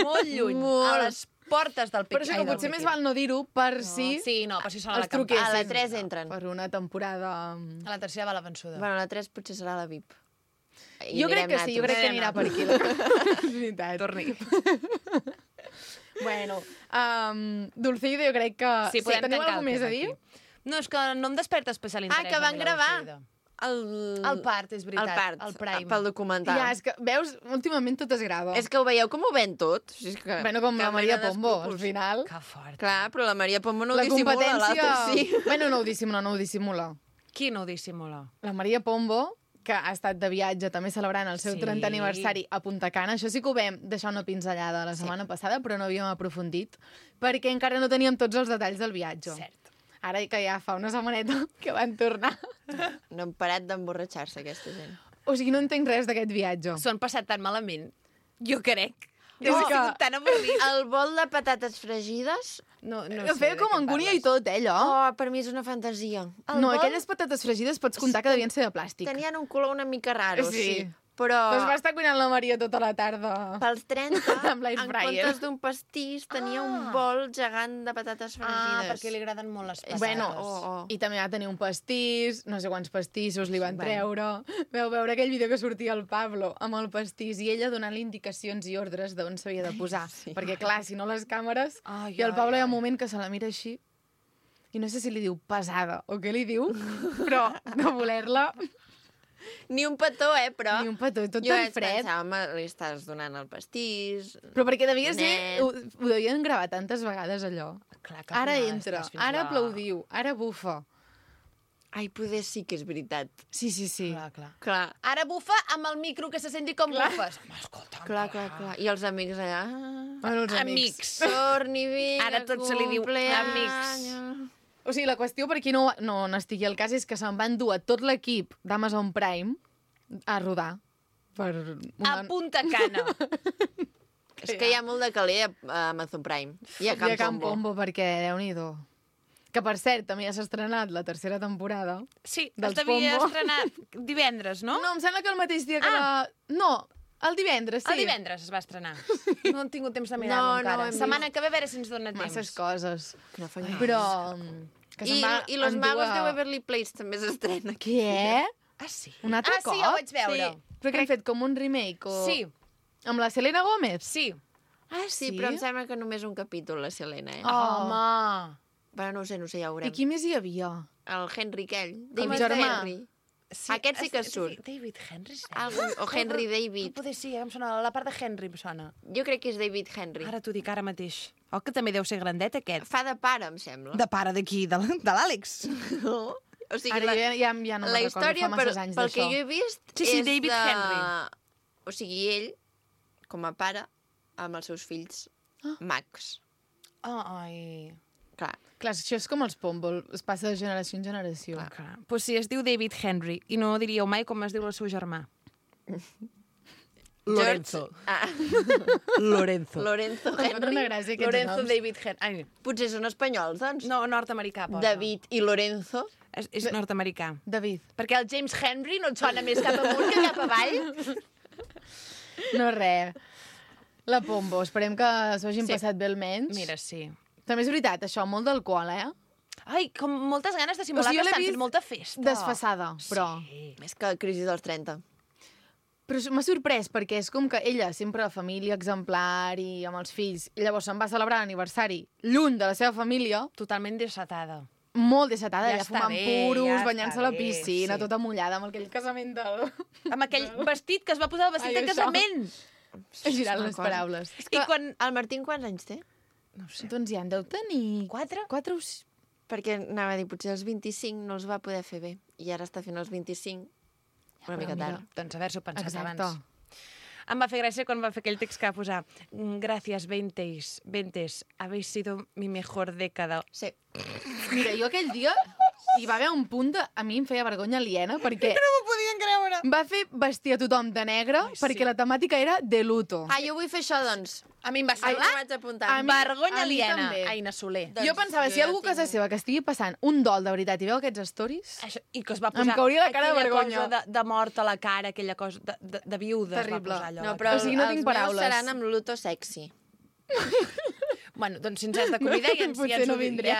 Molt lluny. Molt. A les portes del Per això que potser més val no dir-ho per si Sí, no, per si són a la els truquessin. campanya. A la 3 entren. Per una temporada... A la tercera va la vençuda. Bueno, la 3 potser serà la VIP. Jo crec que sí, jo crec que anirà per aquí. És veritat. Torni. Bueno, Dulceida, jo crec que... Sí, podem teniu tancar alguna el més a tema dir? aquí. No, és que no em desperta especial interès. que van a mi la gravar. Dulceida. El part, és veritat. El part, el Prime. pel documental. Ja, és que, veus, últimament tot es grava. És que ho veieu com ho ven tot. O sigui, és que, Bueno, com que la Maria mena Pombo, al d'escrúpols. final. Que fort. Clar, però la Maria Pombo no ho La dissimula, competència... l'altre sí. Bueno, no ho dissimula. Qui no ho dissimula? La Maria Pombo, que ha estat de viatge també celebrant el seu Sí. 30 aniversari a Punta Cana. Això sí que ho vam deixar una pinzellada la setmana passada, però no havíem aprofundit, perquè encara no teníem tots els detalls del viatge. Cert. Ara que ja fa una setmaneta que van tornar. No han parat d'emborratxar-se, aquesta gent. O sigui, no entenc res d'aquest viatge. S'ho han passat tan malament. Jo crec. És Ha que- sigut tan avorrit. El bol de patates fregides, No Feia com angúnia i tot, allò. per mi és una fantasia. No, aquelles patates fregides pots comptar que devien ser de plàstic. Tenien un color una mica raro, sí. Però Doncs va estar cuinant la Maria tota la tarda. pels 30, Amb l'air en fryer. comptes d'un pastís, tenia un bol gegant de patates fregides. perquè li agraden molt les patates. Bueno, Oh. i també va tenir un pastís, no sé quants pastissos li van Bueno. treure. Veu veure aquell vídeo que sortia el Pablo amb el pastís i ella donant-li indicacions i ordres d'on s'havia de posar. Sí. Perquè, clar, si no les càmeres... Ai, I el Pablo hi ha ai. un moment que se la mira així i no sé si li diu pesada o què li diu, però de voler-la Ni un petó, però... ni un petó, tot jo tan vaig fred. pensar, home, li estàs donant el pastís... Però perquè devia ser... Net. Ho devien gravar tantes vegades, allò. Clar que Ara al final entra, estàs fins ara la- aplaudiu, ara bufa. Ai, poder sí que és veritat. Sí, sí, sí. Clar. Clar, Ara bufa amb el micro que se senti com bufes. Home, escolta. clar. I els amics allà... Bueno, els Amics. Torni, vinga, Ara tot se li diu cumpleaños. O sigui, la qüestió, per qui no n'estigui al cas, és que se'n van dur a tot l'equip d'Amazon Prime a rodar. Per A Punta Cana. És que hi ha molt de caler a Amazon Prime. I a I a Camp Pombo. Pombo, perquè, Déu-n'hi-do. Que, per cert, també ja s'ha estrenat la tercera temporada. Sí, Dels es devia Pombo. estrenar divendres, no? No, em sembla que el mateix dia que la... No, el divendres, sí. El divendres es va estrenar. No hem tingut temps de mirar-ho No, encara. no hem Setmana que ve a veure si ens dona temps. Masses coses. Que no fan Però... Que se'n va I Los endur Magos a- de Beverly Place també s'estrena. Què? Ah, sí? Un altre Ah, cop? sí, ja ho vaig veure. Sí. Però que han fet com un remake o... Sí, Amb la Selena Gómez? sí. Ah, Sí, però em sembla que només un capítol, la Selena, Oh. Home. Però no ho sé, ja ho I veurem. qui més hi havia? El Henry aquell. El David germà. Henry. Aquest sí que surt. David Henry, sí. O Henry Però David. poder sí, em sona, la part de Henry em sona. Jo crec que és David Henry. Ara t'ho dic ara mateix. Oh, que també deu ser grandet, aquest. Fa de pare, em sembla. De pare d'aquí, de l'Àlex. No? O sigui, Ara ja no me'n la recordo, història, fa masses anys pel que d'això. jo he vist, Sí, és David de... Henry. O sigui, ell, com a pare, amb els seus fills, Max. Ai. Clar. Clar, això és com els Pombo, es passa de generació en generació. Clar. Pues sí, es diu David Henry, i no diríeu mai com es diu el seu germà. Lorenzo. George... Ah, Lorenzo. Lorenzo Em fa una Henry. gràcia aquests Lorenzo noms. David Henry. Ai, Potser són espanyols, doncs. no, nord-americà, posa. David i Lorenzo. És nord-americà. David. Perquè el James Henry no et sona més cap amunt que cap avall? No res. La Pombo, esperem que s'ho hagin Sí. passat bé almenys. Mira, sí. També és veritat, això, molt d'alcohol, Ai, com moltes ganes de simular O sigui, jo que l'he estan vist fent molta festa. Desfassada, però... Sí. Més que crisi dels 30. Però m'ha sorprès, perquè és com que ella, sempre la família exemplar i amb els fills, i llavors se'n va celebrar l'aniversari lluny de la seva família, Totalment desatada. molt desatada, Ja ella està fumant bé, puros, ja banyant-se està a la bé, piscina, sí. tota mullada, amb aquell casament del... Amb aquell vestit que es va posar el vestit Ai, de això. casament. He girat Una les cosa. paraules. És I que quan- el Martín quants anys té? No ho sé. Doncs ja en deu tenir... 4? 4 o 6... Perquè anava a dir, potser els 25 no els va poder fer bé. I ara està fent els 25 Una mica tard. Doncs haver-s'ho pensat Exacte. abans. Em va fer gràcia quan va fer aquell text que va posar «Gràcies, Ventes, habéis sido mi mejor década». Sí. Mira, jo aquell dia hi va haver un punt de... A mi em feia vergonya aliena perquè No m'ho podien creure. va fer vestir a tothom de negre perquè la temàtica era de luto. Ah, jo vull fer això, doncs. A mi em va Ai, semblar ho vaig apuntar. A mi- vergonya a mi aliena, també. Aina Soler. Doncs Jo pensava, jo si hi ha algú a casa tinc- seva que estigui passant un dol de veritat i veu aquests stories... Això, I que es va Em posar cauria la cara de aquella vergonya. cosa de mort a la cara, aquella cosa de viuda. Terrible. Es va posar allò. No, però O sigui, no els tinc meus paraules. seran amb luto sexy. Bueno, doncs si ens has de convidar ja ens, Potser no vindrem.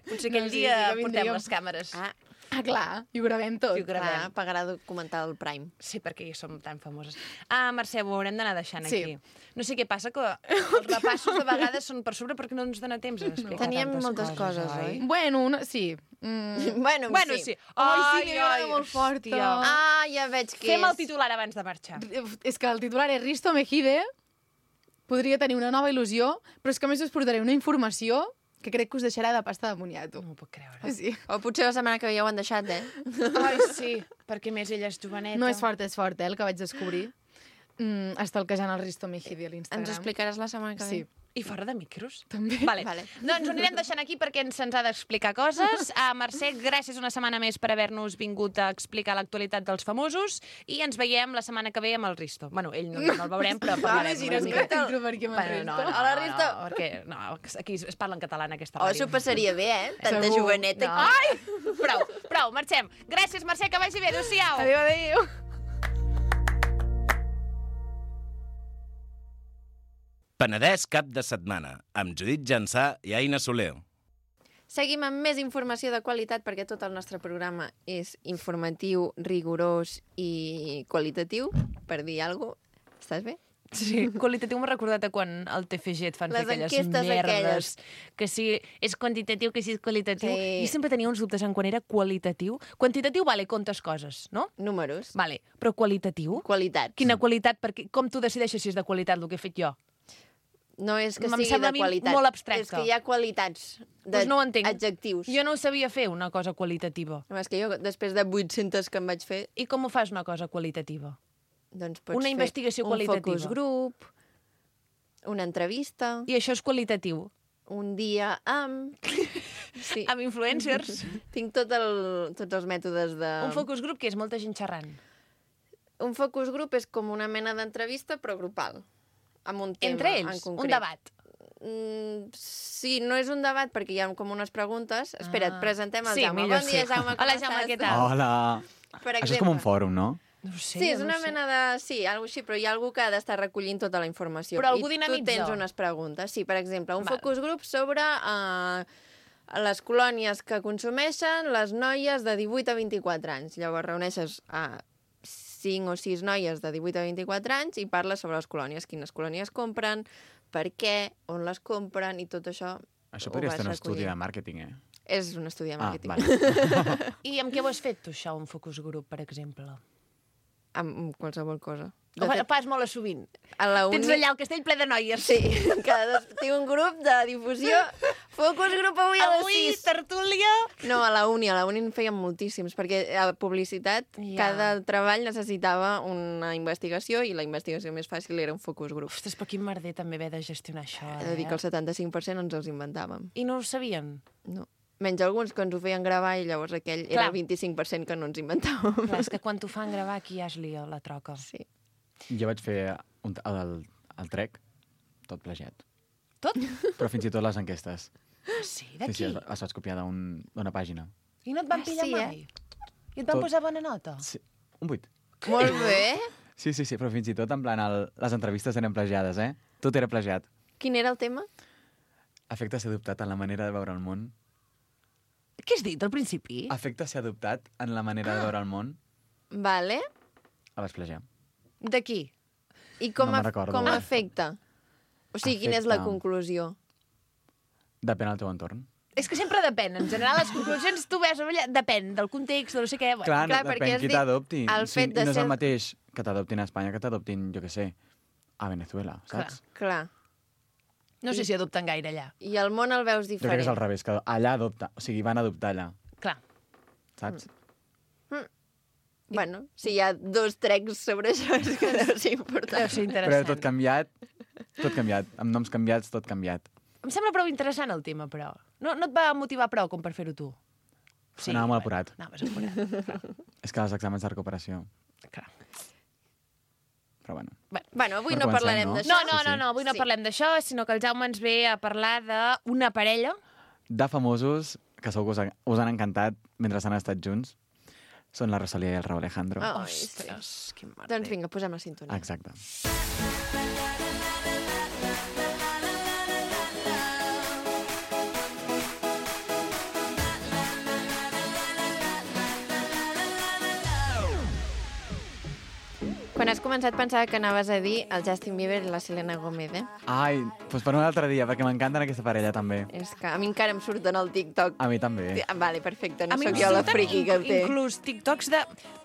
potser aquell No, sí, dia sí que portem vindríem. les càmeres. Ah, clar, i ho gravem tot. I ho gravem. Clar, pagarà documental al Prime. Sí, perquè ja som tan famoses. Mercè, ho haurem d'anar deixant Sí. aquí. No sé què passa, que els repassos de vegades són per sobre perquè no ens dona temps a explicar Teníem tantes moltes coses, oi? Bueno, sí. Bueno, Bueno, sí. sí. Ai, sí, m'agrada molt fort. hòstia. Ah, ja veig que Fem el és. titular abans de marxar. És que el titular és Risto Mejide, podria tenir una nova il·lusió, però és que a més us portaré una informació que crec que us deixarà de pasta de moniato. No m'ho puc creure. Sí. O potser la setmana que ve ja ho han deixat, eh? Ai, sí, perquè més ella és joveneta. No és fort, el que vaig descobrir. Estalquejant el Risto Mejide a l'Instagram. Ens ho explicaràs la setmana que ve? Sí. I fora de micros? També. Vale. Vale. Doncs ho anirem deixant aquí perquè se'ns ha d'explicar coses. Mercè, gràcies una setmana més per haver-nos vingut a explicar l'actualitat dels famosos i ens veiem la setmana que ve amb el Risto. Bueno, ell no el veurem, però parlarem una Imagina't mica. que t'intro per aquí amb el Bueno, Risto. Hola, Risto. No, perquè no, aquí es parla en català en aquesta Oh, ràdio. s'ho passaria bé, eh? Tanta Segur. joveneta. No. Ai! Prou, marxem. Gràcies, Mercè, que vagi bé. Adéu-siau. Adéu. Penedès cap de setmana, amb Judit Jansà i Aina Soler. Seguim amb més informació de qualitat perquè tot el nostre programa és informatiu, rigorós i qualitatiu, per dir alguna cosa. Estàs bé? Sí, qualitatiu m'ha recordat a quan al TFG et fan Les fer aquelles enquestes merdes. aquelles. Que si és quantitatiu, que si és qualitatiu. Sí. Jo sempre tenia uns dubtes en quan era qualitatiu. Quantitatiu, vale, comptes coses, no? Números. Vale, però qualitatiu? Qualitat. Quina qualitat? Perquè com tu decideixes si és de qualitat el que he fet jo? No és que Em sigui sembla a de mi qualitat. molt abstracte. És que hi ha qualitats de Doncs no ho entenc. adjectius. Jo no ho sabia fer, una cosa qualitativa. No, és que jo, després de 800 que em vaig fer, I com ho fas, una cosa qualitativa? doncs pots Una fer investigació un qualitativa. focus group, una entrevista, I això és qualitatiu? un dia amb... Sí. Amb influencers? Tinc tots els mètodes de... Un focus group que és molta gent xerrant. Un focus group és com una mena d'entrevista, però grupal. Amb un tema Entre en ells, concret. un debat. Sí, no és un debat perquè hi ha com unes preguntes. Espera't, presentem el Sí, Jaume. millor Bon dia, sí. Jaume, com Hola, estàs? Jaume, què tal? Hola. Per Això és com un exemple. fòrum, no? No ho sé, Sí, és jo no una ho sé. mena de... Sí, alguna així, però hi ha algú que ha d'estar recollint tota la informació. Però algú I dinamitza. tu tens unes preguntes. Sí, per exemple, un Val. focus group sobre les colònies que consumeixen les noies de 18 a 24 anys. Llavors reuneixes a 5 o 6 noies de 18 a 24 anys i parles sobre les colònies, quines colònies compren, per què, on les compren i tot això. Això ho podria vas ser un estudi recollint. de màrqueting, eh? És un estudi de màrqueting. vale. I amb què ho has fet, tu, això, un focus group, per exemple? Amb qualsevol cosa. De Ho fet, fas molt a sovint. a la uni... Tens allà el castell ple de noies. Sí, tinc un grup de difusió. Focus group avui a les Avui, 6. tertúlia... No, a la uni en feien moltíssims, perquè a publicitat Ja. cada treball necessitava una investigació i la investigació més fàcil era un focus group. Ostres, però quin merder també haver de gestionar això, He de dir que el 75% ens els inventàvem. I no ho sabien? No. Menys alguns que ens ho feien gravar i llavors aquell era Clar. el 25% que no ens inventàvem. Clar, és que quan t'ho fan gravar, aquí ja es lia la troca. Sí. Jo vaig fer el trec, tot plagiat. Tot? Però fins i tot les enquestes. Sí, Sí, d'aquí? sí, les vaig copiar d'una pàgina. I no et van Ah, pillar sí, mai? I et van Tot. posar bona nota? Sí, un 8. Molt bé. Sí, però fins i tot, en plan, les entrevistes eren plagiades, eh? Tot era plagiat. Quin era el tema? Afecte ser adoptat en la manera de veure el món. Què has dit al principi? Afecte ser adoptat en la manera de veure el món. Vale. El vaig plagiar. De qui? I com, No me'n recordo. com afecta? O sigui, quina és la Afecta. conclusió? Depèn del teu entorn. És que sempre depèn. En general, les conclusions tu veus allà, depèn del context, de no sé què. Bueno, Clar, clar, perquè depèn has qui dit t'adopti. el fet de I no és ser- el mateix que t'adoptin a Espanya que t'adoptin, jo què sé, a Venezuela, saps? Clar. no sé si adopten gaire allà. I el món el veus Jo crec diferent. que és al revés, que allà adopta, o sigui, van adoptar allà, Clar. saps? Bueno, si hi ha 2 trecs sobre això, és que deu ser important. Deu ser Però interessant. tot canviat. Amb noms canviats, tot canviat. Em sembla prou interessant el tema, però. No et va motivar prou com per fer-ho tu? Anava molt apurat. Anaves apurat. És que els exàmens de recuperació... Clar. Però bueno. Bueno, avui Però no comencem, parlarem no? d'això. No, avui no Sí. parlem d'això, sinó que el Jaume ens ve a parlar d'una parella. De famosos, que segur que us han encantat mentre han estat junts, són la Rosalía i el Raúl Alejandro. Ai, Ostres, quin merder. Doncs vinga, posem la sintonia. Exacte. Quan has començat pensava que anaves a dir el Justin Bieber i la Selena Gomez, eh? Ai, doncs per un altre dia, perquè m'encanten aquesta parella també. És que a mi encara em surten al TikTok. A mi també. Vale, perfecte, no A mi em sóc jo la surten friqui que el té. inclús TikToks de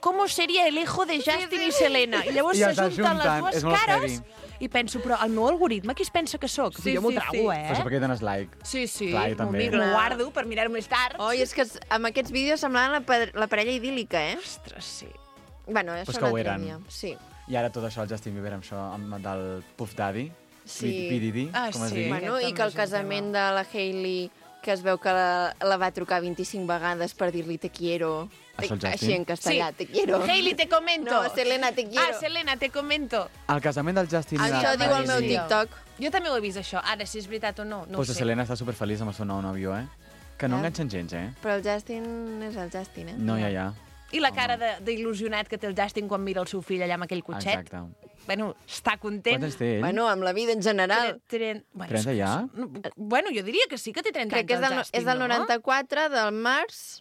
com seria el hijo de Justin i Selena. I llavors I se els junten les ajunten, dues és molt cares heavy. i penso, però el meu algoritme qui es pensa que sóc? Sí, Jo m'ho sí, trago, sí. Però això perquè hi dones like. Sí, sí, Clar, jo m'ho també. miro, m'ho Clar. guardo per mirar-ho més tard. Oi, és que amb aquests vídeos semblaven la parella idíl·lica, eh? Ostres, sí. Bueno, això Pues un que ho altre eren. dia. Sí. I ara tot això, el Justin Bieber, amb això, amb del Puff Daddy, Sí. P. Diddy, Ah, com es sí. digui. Bueno, Aquest i que el també és un casament de la Hailey, que es veu que la va trucar 25 vegades per dir-li te quiero. Això el Justin? Així en castellà, Sí. te quiero. Hailey, te comento. No, Selena, te quiero. Ah, Selena, te comento. El casament del Justin i Això la diu el meu Hailey. TikTok. Jo també ho he vist, això. Ara, si és veritat o no, no Pues ho la sé. Selena està superfeliç amb el seu nou nòvio, eh? Que no Ja. enganxen gens, eh? Però el Justin és el Justin, eh? No, ja. I la cara d'il·lusionat que té el Justin quan mira el seu fill allà amb aquell cotxet. Exacte. Bueno, està content. Quants anys té ell? Bueno, amb la vida en general. 30 ja? Bueno, jo diria que sí que té 30 Crec que és anys, del, el Justin, és del no? 94, del març.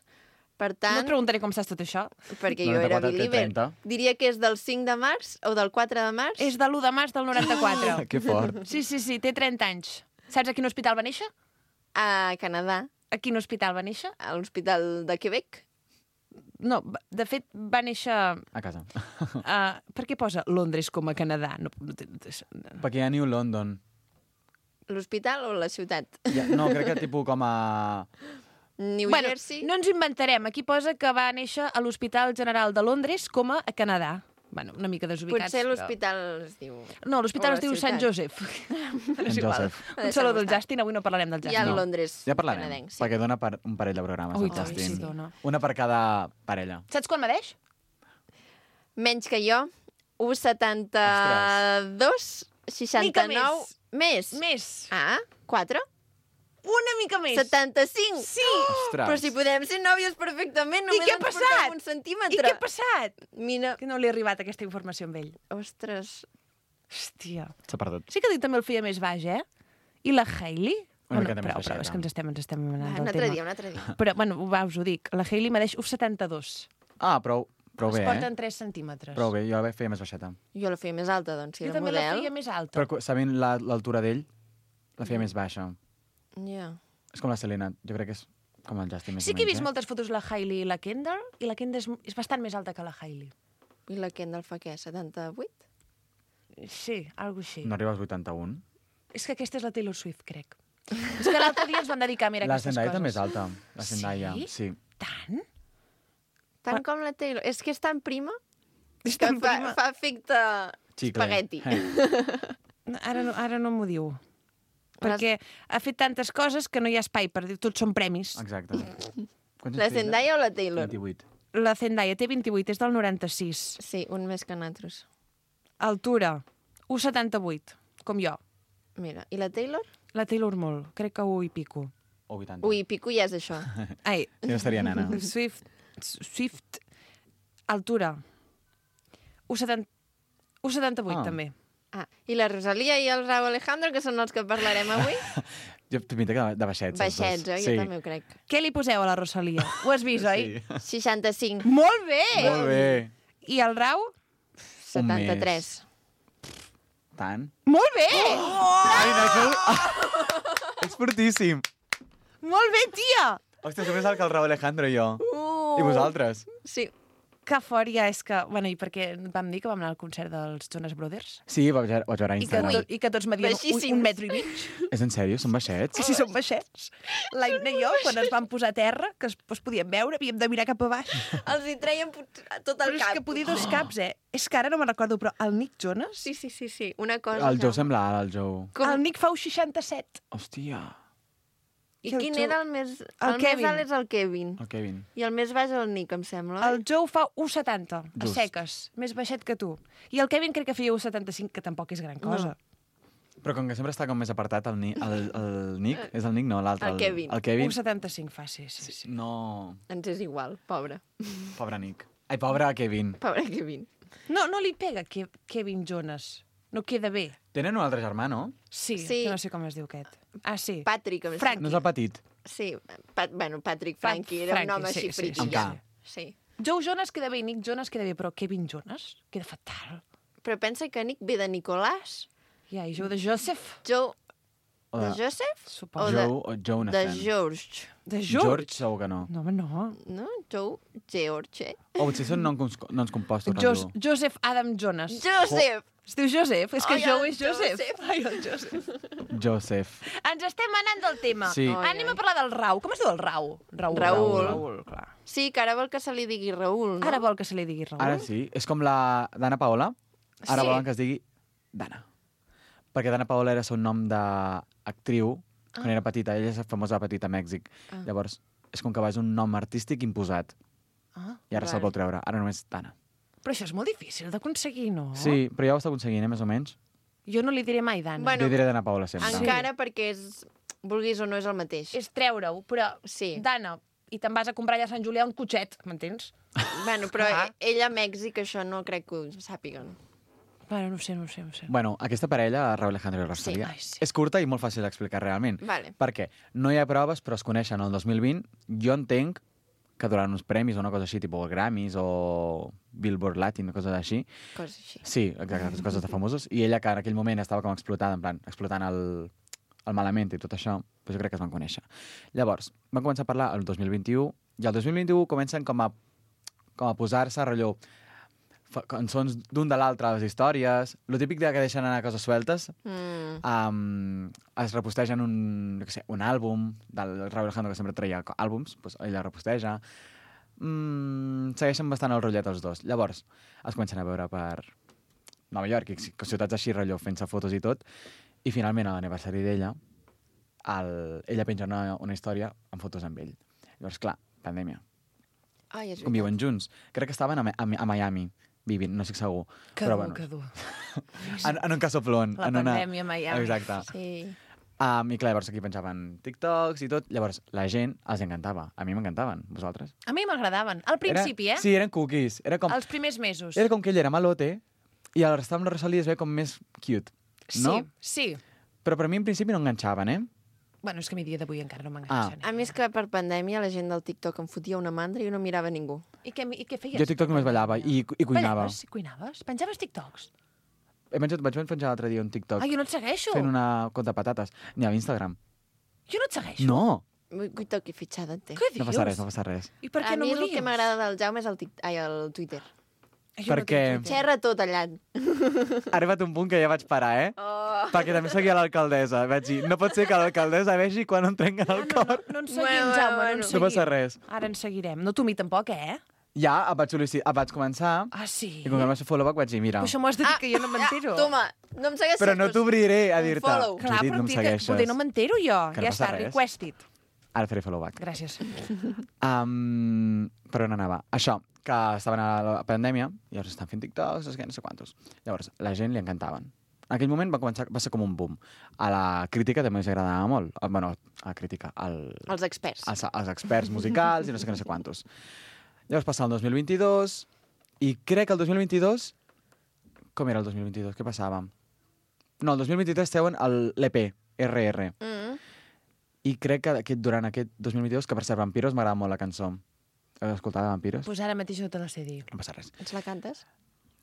Per No tant, et preguntaré com saps tot això. perquè jo era 94 té believer, 30. diria que és del 5 de març o del 4 de març. És de l'1 de març del 94. Que fort. Sí, té 30 anys. Saps a quin hospital va néixer? A Canadà, A quin hospital va néixer? a l'Hospital de Quebec. No, de fet, va néixer... A casa. Per què posa Londres com a Canadà? No, Perquè hi ha New London. L'hospital o la ciutat? No, crec que tipus com a... New bueno, Jersey? no ens inventarem. Aquí posa que va néixer a l'Hospital General de Londres com a Canadà. Bueno, una mica desubicats, Potser però... l'hospital es diu... No, l'hospital o es la diu Sant ciutat. Joseph. És igual. Joseph. Un saludo del Justin, avui no parlarem del Hi ha Justin. el No. Londres Ja parlarem, canadenc. Sí. perquè dona per un parell de programes, Ui, el tant, Justin. sí, dona. Una per cada parella. Saps quan medeix? Menys que jo, 1,72, 69... Més. Més. Ah, 4? Una mica més. 75? Sí. Ostres. Però si podem ser nòvios perfectament, I només què ha ens passat? portem un I centímetre. què ha passat? Mira, Que no li ha arribat aquesta informació amb ell. ostres, Hòstia. S'ha perdut. Sí que dic també el feia més baix, eh? I la Hailey? Una miqueta més prou, baixeta. és que ens estem va, anant un del altre tema. dia, un altre dia. Però, bueno, va, us ho dic. La Hailey medeix 1,72. Ah, prou Es bé, porten eh? 3 centímetres. Prou bé, jo la feia més baixeta. Jo la feia més alta, doncs, si Jo era també la model. feia més alta. Però sabent l'altura d'ell, la feia més baixa. Ja. És com la Selena, jo crec que és com el Justin més Sí o que he menys, vist moltes fotos de la Hailey i la Kendall, i la Kendall és bastant més alta que la Hailey. I la Kendall fa què, 78? Sí, alguna així. No arriba als 81. És que aquesta és la Taylor Swift, crec. És que l'altre dia ens van dedicar a mirar La aquestes Zendaya coses. també és alta. La Zendaya, Sí? sí. Tant? Tant com la Taylor. És que és tan prima És que tan prima. fa efecte Xicle. espagueti. Ara no m'ho diu. Perquè ha fet tantes coses que no hi ha espai per dir tots són premis. Exacte. Quants La anys té ella? Zendaya o la Taylor? 28. La Zendaya té 28, és del 96. Sí, un més que nosaltres. Altura, 1,78, com jo. Mira, i la Taylor? La Taylor molt, crec que 1 i pico. O 80. Ui, pico ja és això. Ai, Si no estaria nana. Swift, altura, 1,78 Ah. també. Ah, i la Rosalia i el Raúl Alejandro, que són els que parlarem avui? Jo t'ho pinta que de baixets. els dos. Baixets, oi? Jo també ho crec. Què li poseu a la Rosalia? Ho has vist, oi? Sí. 65, Molt bé! Molt bé. I el Rau? 73. Tant? Molt bé! Ai, no, això... Ets fortíssim. Molt bé, tia! Ostres, som més alt que el Raúl Alejandro i jo. I vosaltres? Sí. que fort ja és que... Bueno, i perquè vam dir que vam anar al concert dels Jonas Brothers? Sí, vaig veure a Instagram. I que tots medien Baixíssims. 1,5 metres. És en sèrio? Són baixets? Sí, són baixets. L'Aina i jo, quan es van posar a terra, que es podien veure, havíem de mirar cap a baix. Els hi treien tot el Però és cap. que podia 2 caps, És que ara no me'n recordo, però el Nick Jonas... Sí. Una cosa... El Joe sembla alt, el Joe. El Nick fa 67. Hòstia. I I el quin Joe- era el més... El El Kevin. més alt és el Kevin. El Kevin. I el més baix el Nick, em sembla. El Joe fa 1,70, a Just. seques. Més baixet que tu. I el Kevin crec que feia 1,75, que tampoc és gran cosa. Però com que sempre està com més apartat, el Nick, és el Nick, no, l'altre. El Kevin. El Kevin. 1,75 fa, sí. No, Ens és igual, pobre. pobre Nick. Ai, pobre Kevin. Pobre Kevin. No li pega Kevin Jonas. No queda bé. Tenen un altre germà, no? Sí, Sí. no sé com es diu aquest. Ah, sí. Patrick, em Frank. No és el petit? Sí, Patrick Frankie, era un Frankie, home sí, així sí, fritillant. sí. Amb K. Sí. Joe Jonas queda bé i Nick Jonas queda bé, però Kevin Jonas queda fatal. Però pensa que Nick ve de Nicolàs. Ja, i Joe de Joseph, Joe... O De de Joseph? suposo. O de- Joe o Jonathan? De George. De George segur que no. No, home, no. No? Joe George. O potser són noms compostos. Joseph Adam Jonas. Joseph! Es diu Joseph? És que Ai, Joe el és Joseph. Joseph. Ai, el Joseph. Joseph. Ens estem anant del tema. Sí. Ai, Anem a parlar del Rau. Com es diu el Rau? Raül. Raül, clar. Sí, que ara vol que se li digui Raül, no? Ara vol que se li digui Raül. Ara sí. És com la Dana Paola. Ara Sí. volen que es digui Dana. Perquè Dana Paola era el seu nom d'actriu quan era petita. Ella és famosa de petita a Mèxic. Llavors, és com que és un nom artístic imposat. Ah, I ara se'l Vale. vol treure. Ara només Dana. però això és molt difícil d'aconseguir, no? Sí, però ja ho està aconseguint, més o menys. Jo no li diré mai Dana. Bueno, Jo diré Dana Paola sempre. Encara perquè és... Vulguis o no, és el mateix. És treure-ho, però Sí. Dana, i te'n vas a comprar allà a Sant Julià un cotxet, m'entens? Bueno, però Ah. ella a Mèxic això no crec que ho sàpiguen. Bueno, no sé. Bueno, aquesta parella, Raúl Alejandro i Rosalía, ai, sí. és curta i molt fàcil d'explicar realment. Vale. Perquè no hi ha proves, però es coneixen el 2020. Jo entenc que durant uns premis o una cosa així, tipus Grammys o Billboard Latin, coses així. Coses així. Sí, exacte, coses de famosos. I ella, que en aquell moment estava com explotada, en plan, explotant el malament i tot això, doncs jo crec que es van conèixer. Llavors, van començar a parlar el 2021, i el 2021 comencen com a posar-se a rellò cançons d'un de l'altre a les històries, lo típic de que deixen anar coses sueltes, es repostegen un àlbum del Raúl Alejandro, que sempre treia àlbums, doncs ella reposteja. Segueixen bastant el rotllet els dos. Llavors, es comencen a veure per Nova York i ciutats així, rotllo, fent-se fotos i tot, i finalment a l'aniversari d'ella, ella penja una història amb fotos amb ell. Llavors, clar, pandèmia. Ai, és Com viuen junts. Crec que estaven a Miami vivint, no estic segur. Que Però, dur, bueno, que dur. en un casoplón. La pandèmia a Miami. Exacte. Sí. I clar, llavors aquí penjaven TikToks i tot. Llavors, la gent els encantava. A mi m'encantaven. Vosaltres? A mi m'agradaven. Al principi, Sí, eren cookies. Era com, Els primers mesos. era com que ell era malote i el restar amb la Rosalía es veia com més cute. No? Sí. Però per mi, en principi, no enganxaven, Bueno, és que a mi dia d'avui encara no m'enganxen. A mi és que per pandèmia la gent del TikTok em fotia una mandra i jo no mirava ningú. I què feies? Jo a TikTok només ballava i cuinava. Ballaves i cuinaves? Penjaves TikToks? Vaig penjar l'altre dia un TikTok Ah, jo no et segueixo. fent una conta de patates. Ni a Instagram. Jo no et segueixo. No! TikTok i fitxada en té. Què dius? No passa res, no passa res. I per què A no mi m'ho el dius? que m'agrada del Jaume és el Twitter. Jo no Perquè- tinc Twitter. Xerra tot allà. Ha arribat un punt que ja vaig parar, Perquè també seguia l'alcaldessa. Vaig dir, no pot ser que l'alcaldessa vegi quan em trenquen el cor. No ens seguim, Bueno, Jaume, no bueno. ens No seguim. passa res. Ara ens seguirem. No tu a mi tampoc, Ja em vaig començar Ah, sí? i com que vam fer follow-back vaig dir, mira, Però això m'ho has de dir que jo no m'entero. Toma, no em segueixes. però no t'obriré a un dir-te. follow. Clar, Judit, però no em em segueixes. poder no m'entero jo. Que no Ja passa està, res. requested. Ara faré follow-back. Gràcies. Per on anava? Això, que estaven a la pandèmia i llavors estan fent TikToks, no sé quantos. Llavors, la gent li encantaven. En aquell moment va ser com un boom. A la crítica també els agradava molt. Bueno, a la crítica, Els experts. als experts musicals i no sé quantos. Llavors passa el 2022 i crec que el 2022... Com era el 2022? Què passava? No, el 2023 treuen l'EP, RR. I crec que durant aquest 2022, que per ser Vampiros m'agrada molt la cançó. Has escoltat Vampiros? Pues ara mateix no te la sé dir. No passa res. Ens la cantes?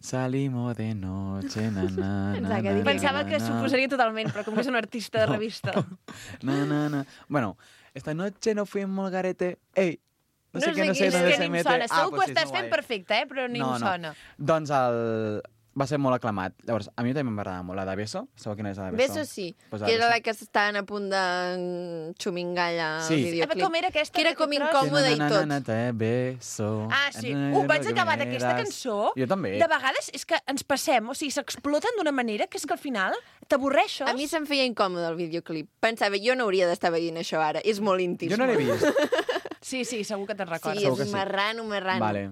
Salimos de noche, na, na, na, Exacte, na, digue. Pensava que na, s'ho posaria totalment, però com que és un artista de revista. na, na, na. Bueno, esta noche nos fuimos al garete, ey, No sé No què, no sé sé quin dónde és. se ni em mete. sona. Segur que pues ho sí, estàs és fent guai. perfecte, però ni em sona. Doncs va ser molt aclamat. Llavors, a mi també m'agradava molt la de Beso. Sabeu quina és la de Beso? Beso sí, Pues que era Beso. la que estaven a punt de xumingar allà al Sí. videoclip. Com era aquesta? Que era aquest com tros? incòmode i tot. Te beso. Ah, sí. Vaig acabar d'aquesta cançó. Jo també. De vegades és que ens passem, o sigui, s'exploten d'una manera que és que al final t'avorreixes. A mi se'm feia incòmode el videoclip. Pensava, jo no hauria d'estar veient això ara. És molt íntim. Jo no l'he vist. Sí, segur que te'n recordes. Sí, Segur que és sí. marrano. Vale.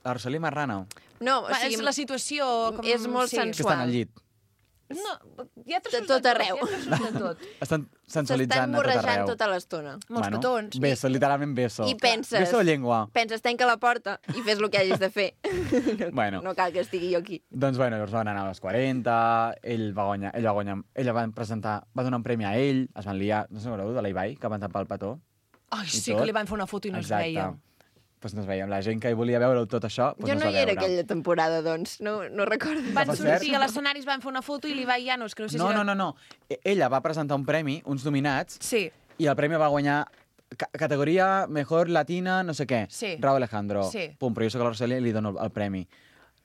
La Rosalía Marrano, No, o Va, sigui, és la situació... Com... és molt que sensual. estan al llit. No, hi ha trossos De tot arreu. Hi ha trossos de tot. Estan S'estan sensualitzant a tot morrejant arreu. tota l'estona. Molts petons. Beso, literalment beso. I penses... Beso o llengua. Penses, tanca la porta i fes el que hagis de fer. Bueno. No cal que estigui jo aquí. Doncs bueno, llavors van anar als 40, ella va presentar, va donar un premi a ell, es van liar, no sé si veureu, de l'Ibai, que van tapar el petó. Ai, I sí, tot. que li van fer una foto i no es veia. Pues no es veia. La gent que hi volia veure tot això, pues Jo no es no va hi era veure. aquella temporada, doncs. No recordo. Van Per cert- sortir a l'escenari, es van fer una foto i l'Ibai ja no es creu. No. Ella va presentar un premi, uns nominats, Sí, i el premi va guanyar categoria Mejor Latina, no sé què. Sí. Raúl Alejandro. Sí. Pum, però jo soc la Rosalía i li dono el premi.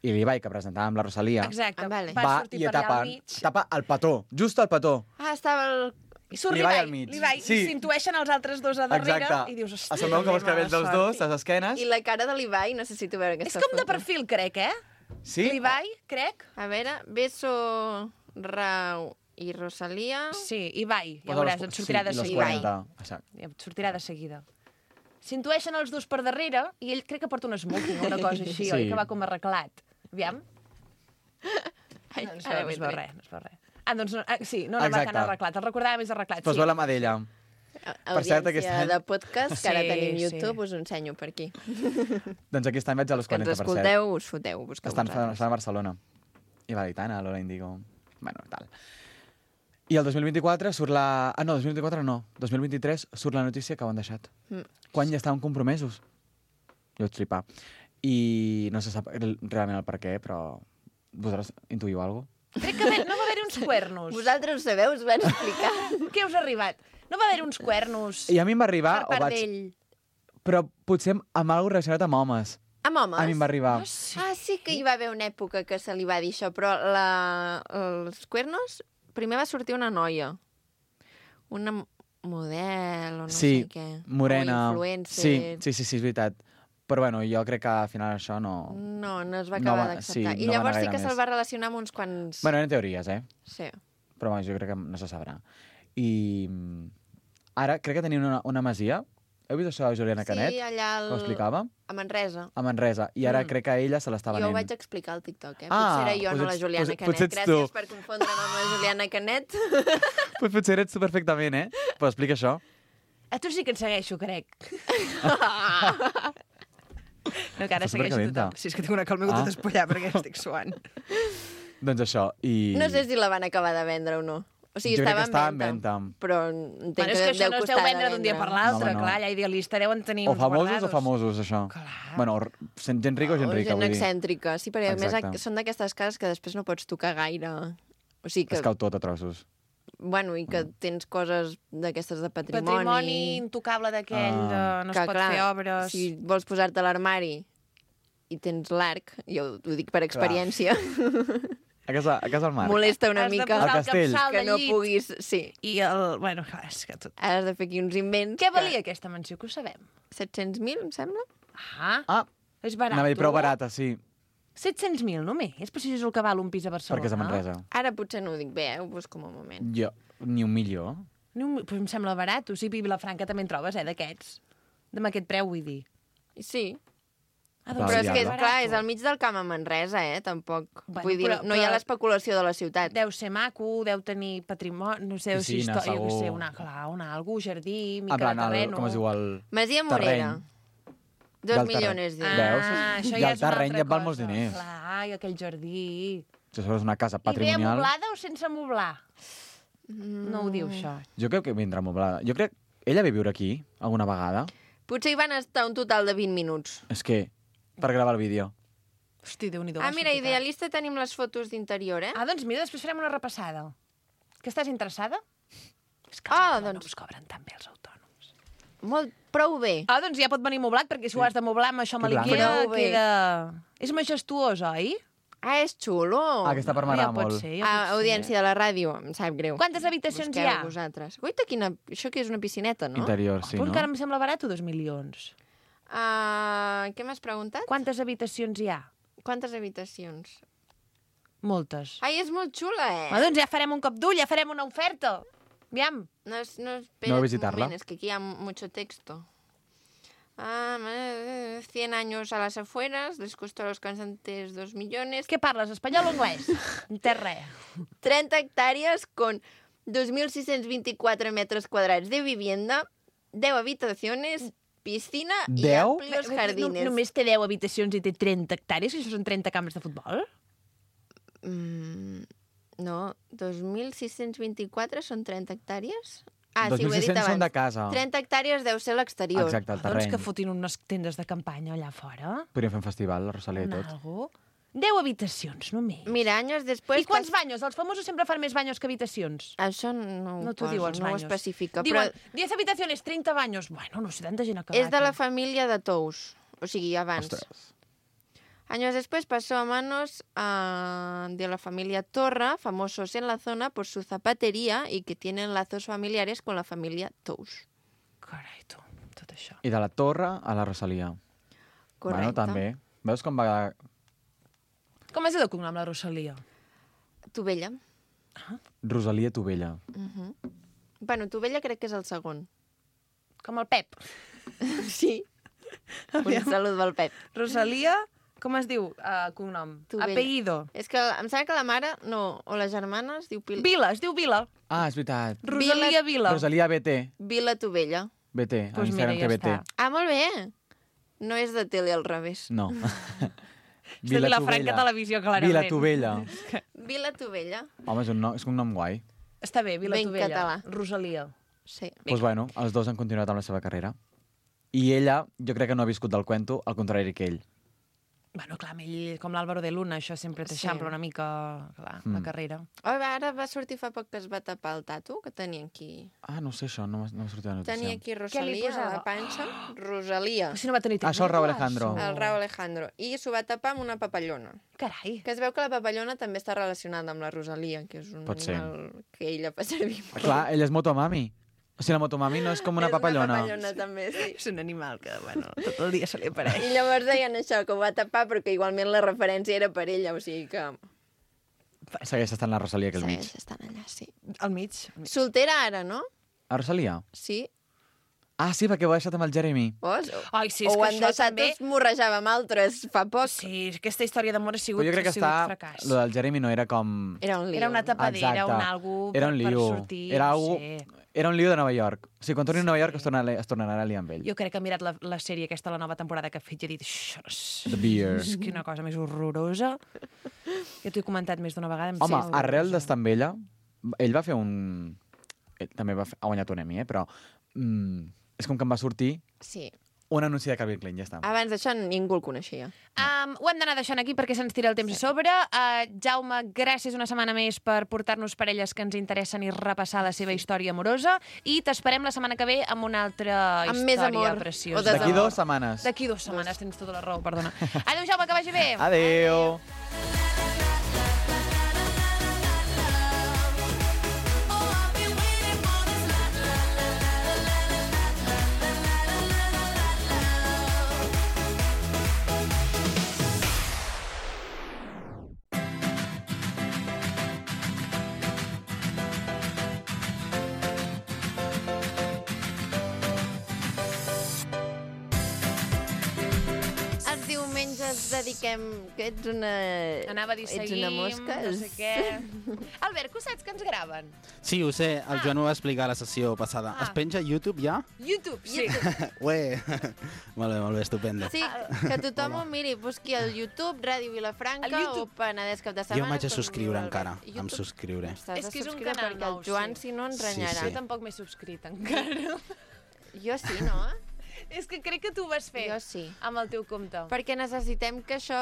I l'Ibai, que presentava amb la Rosalía, exacte. Ah, vale. Va va sortir i per allà tapa, al mig. tapa el petó, just el petó. Ah, estava el... I surt L'Ibai l'Ibai, al mig. l'Ibai, Sí. i s'intueixen els altres dos a darrere Exacte. i dius, hòstia, Es veu que els cabells dels dos, les esquenes. I la cara de l'Ibai, no sé si tu veure És aquesta com de foto. perfil, crec, eh? Sí? L'Ibai, crec. A veure, Beso, Rau i Rosalía. Sí, Ibai, ja Pues a veuràs, los- et sortirà sí, de i los seguida. 40. Exacte. Ja et sortirà de seguida. S'intueixen els dos per darrere i ell crec que porta un smoking o una cosa així, Sí. oi? Que va com arreglat. Aviam. Ai, No es ara veu, no es ben veu bé. res, no es veu res. Ah, doncs no, sí, no va Exacte. tan arreglat. El recordava més arreglat, Pues sí. va la mà d'ella. Per cert, aquest Audiència any- de podcast, que ara Sí, tenim sí. YouTube, us ho ensenyo per aquí. Doncs aquest any vaig a los Que ens 40, per cert. escolteu, us foteu, busqueu Estan vosaltres. a Barcelona. I Valitana, Lola Indigo... Bueno, tal. I el 2024 surt la... Ah, no, 2024 no. 2023 surt la notícia que ho han deixat. Quan ja estaven compromesos. Jo vaig flipar. I no se sap realment el per què, però... Vosaltres intuïu alguna cosa? Crec que no va haver-hi uns cuernos. Vosaltres ho sabeu, us van explicar. Què us ha arribat? No va haver-hi uns cuernos I a mi em va arribar... per part o vaig... d'ell? Però potser amb alguna cosa relacionat amb homes. Amb homes? A mi em va arribar. Ah, sí que hi va haver una època que se li va dir això, però els cuernos... Primer va sortir una noia. Una model o no Sí, sé què. morena. O influencer. Sí, és veritat. Però bueno, jo crec que al final això no... No es va No acabar va- d'acceptar. sí, I no va llavors anar sí que gaire se'l més. va relacionar amb uns quants... Bueno, eren teories, Sí. Però bueno, jo crec que no se sabrà. I ara crec que tenien una masia. Heu vist això de Juliana Canet? Sí, allà Que ho explicava? a Manresa. A Manresa. I ara crec que ella se l'està Jo ho venent. vaig explicar al TikTok, eh? Ah, Potser era jo, doncs no la ets- Juliana doncs- Canet. potser ets Gràcies tu. per confondre'm amb la Juliana Canet. Pues potser eres tu perfectament, eh? Però explica això. A tu sí que et segueixo, crec. No, que ara Estàs segueixo supercalenta. tothom. Si és que tinc una calma tot espollar perquè estic suant. Doncs això. I... No sé si la van acabar de vendre o no. O sigui, Jo crec que estava estava en venda. Però entenc Bueno, és que això deu no es costar deu de vendre d'un dia per vendre. l'altre, No, home, no. clar, ja idealista deuen tenir O uns famosos guardados. o famosos, això. Clar. Bueno, gent rica o gent rica, gent vull dir. excèntrica. Sí, perquè a Exacte. més són d'aquestes cases que després no pots tocar gaire. O sigui que... Es cau tot a trossos. Bueno, i que tens coses d'aquestes de patrimoni. Patrimoni intocable d'aquell, de no es que, pot clar, fer obres. Si vols posar-te a l'armari i tens l'arc, jo ho dic per experiència, A casa al mar. molesta una Has de mica Al posar el castell. capçal que de no llit. puguis... Sí, I el... Bueno, clar, és que tot... has de fer aquí uns invents. Què valia aquesta mansió, que ho sabem? 700.000, em sembla? Ah, Ah, és barat. anava a dir prou barata, sí. 700.000 només? És per si és el que val un pis a Barcelona. Perquè és a Manresa. Ara potser no ho dic bé, ho busco un moment. Jo, ni un milió. Pues em sembla barat. O sigui, a Vilafranca també en trobes, d'aquests. Amb aquest preu, vull dir. Sí, Ah, Clar, però és que, diable. clar, és al mig del camp a Manresa, Tampoc. Bueno, Vull dir, però- no hi ha però- l'especulació de la ciutat. Deu ser maco, deu tenir patrimoni, no sé, Sí, si no, història, jo què sé, segur. algú, jardí, En mica plan, de terreno. com es diu el... Masia Morera. Terreny. 2 Del milions terreny. d'euros. Veus? això I ja el és una terreny altra ja et val molts cosa. diners. Clar, i aquell jardí. Si és una casa I bé patrimonial... amoblada o sense amoblar? No ho diu, això. Jo crec que vindrà amoblada. Jo crec... Ella ve a viure aquí, alguna vegada. Potser hi van estar un total de 20 minuts. És que, per gravar el vídeo. Hosti, Déu-n'hi-do. Ah, la mira, sortitat. idealista tenim les fotos d'interior, Ah, doncs mira, després farem una repassada. Que estàs interessada? És que Ah, no doncs- us cobren tan bé els autònoms. prou bé. Ah, doncs ja pot venir moblat, perquè si ho has de moblar amb això amb Que blanc. l'Ikea, Prou bé. queda... És majestuós, oi? És xulo. Aquesta part m'agrada molt. Audiència de la ràdio, em sap greu. Quantes habitacions hi ha? Vosaltres. Guaita, això que és una piscineta, no? Interior, sí, Però no? encara em sembla barat, 2 milions. Què m'has preguntat? Quantes habitacions hi ha? Quantes habitacions? Moltes. Ai, és molt xula, Doncs ja farem un cop d'ull, ja farem una oferta. Aviam. No, espera No un visitarla. moment, es que aquí hi ha mucho texto. 100 años a las afueras, les costó a los cantantes 2 millones. Què parles, espanyol o anglès? No té res. 30 hectáreas con 2.624 metros cuadrados de vivienda, 10 habitaciones, piscina y 10? amplios jardines. Només té 10 habitacions i té 30 hectàrees, que això són 30 camps de futbol? No, 2.624 són 30 hectàrees? Ah, sí, ho he dit 2.600 són abans. de casa. 30 hectàrees deu ser l'exterior. Exacte, el Doncs terreny. que fotin unes tendes de campanya allà fora. Podríem fer un festival, la Rosalia i tot. Algo. 10 habitacions, només. Mira, anys després... I quants banyos? Els famosos sempre fan més banyos que habitacions. Això no No t'ho diu, els no ho baños. especifica, Diuen, però 10 habitaciones, 30 baños. Bueno, no sé, tanta gent ha acabat. és de la família de Tous, o sigui, abans. Ostres. Años después pasó a manos de la familia Torra, famosos en la zona por su zapatería y que tienen lazos familiares con la familia Tous. Carai, tu, tot això. I de la Torre a la Rosalia. Correcte. Bueno, també. Veus com va... Com es diu de cognom, la Rosalia? Tovella. Rosalia Tovella. Bueno, Tovella crec que és el segon. Com el Pep. Sí. Un salut del Pep. Rosalia, com es diu cognom? Tovella. Apellido. És que em sembla que la mare, no, o la germana es diu Vila, es diu Vila. Ah, és veritat. Rosalia Vila. Rosalia BT. Vila Tovella. BT. Pues A mira, Instagram ja té BT. està. Ah, molt bé. No és de tele al revés. No. És de Vilafranca Televisió, clarament. Vila Tovella. Vila Tovella. Home, és un nom guai. Està bé, Vila Ben Tovella. català. Rosalia. Sí. Doncs bueno, els dos han continuat amb la seva carrera. I ella, jo crec que no ha viscut del cuento, al contrari que ell. Bueno, clar, amb ell, com l'Àlvaro de Luna, això sempre t'eixampla una mica clar, la carrera. Oh, ara va sortir fa poc que es va tapar el tatu que tenia aquí. Ah, no sé això, no m'ha sortit la notícia. Tenia aquí Què li Rosalia a posava? la panxa. Rosalia. Però si no va tenir temps. Això el de Raúl tatuar-s'ho. Alejandro. El Raúl Alejandro. I s'ho va tapar amb una papallona. Carai. Que es veu que la papallona també està relacionada amb la Rosalia, que és un Pot ser. animal que ella fa servir molt. Clar, ella és motomami. O sigui, la motomami no és com una És papallona. una papallona també, sí. És un animal que, bueno, tot el dia se li apareix. I llavors deien això, que ho va tapar, però que igualment la referència era per ella, o sigui que... Segueix estant la Rosalia aquí al mig. Segueix estant allà, sí. Al mig. Al mig. Soltera ara, no? A Rosalia? Sí. Ah, sí, perquè ho ha deixat amb el Jeremy. Ai, sí, o és ho que han això deixat també... es morrejava amb altres fa poc. Sí, aquesta història d'amor ha sigut, Però jo crec que ha sigut està... fracàs. Lo del Jeremy no era com... Era un lío. Era una tapadera, Exacte. un algo Era un per lío. sortir. Era, no algo... sé. Era un lío de Nova York. O sigui, quan torni a Nova York es tornarà a liar amb ell. Jo crec que ha mirat la sèrie aquesta, la nova temporada que ha fet, i ha dit... The Beer. És quina cosa més horrorosa. Ja t'ho he comentat més d'una vegada. Home, arrel d'estar amb ella, ell va fer un... Ell també ha guanyat un Emmy, però... és com que em va sortir Sí. un anunci de Calvin Klein, ja està. Abans d'això ningú el coneixia. Ho hem d'anar deixant aquí perquè se'ns tira el temps a sobre. Jaume, gràcies una setmana més per portar-nos parelles que ens interessen i repassar la seva història amorosa. I t'esperem la setmana que ve amb una altra Amb més història amor. preciosa. O desamor. D'aquí 2 setmanes. D'aquí 2 setmanes, tens tota la raó, perdona. Adéu, Jaume, que vagi bé. Adéu. Els diumenges dediquem... Que ets una... Anava a dir Ets seguim, una mosca. no sé què. Albert, que saps que ens graven? Sí, ho sé, el Joan ho va explicar a la sessió passada. Es penja a YouTube ja? YouTube, sí. Ué, molt bé, estupendo. Sí, que tothom ho miri, busqui al YouTube, Ràdio Vilafranca Al YouTube. o Penedès Cap de Setmana. Jo m'haig de com subscriure diu encara, l'Albert. em YouTube. subscriuré. T'has És de que és un subscriure canal perquè nou, el Joan, sí. si no, ens Sí, renyarà. Jo tampoc m'he subscrit encara. Jo sí, no? És que crec que tu ho vas fer Jo sí. amb el teu compte. Perquè necessitem que això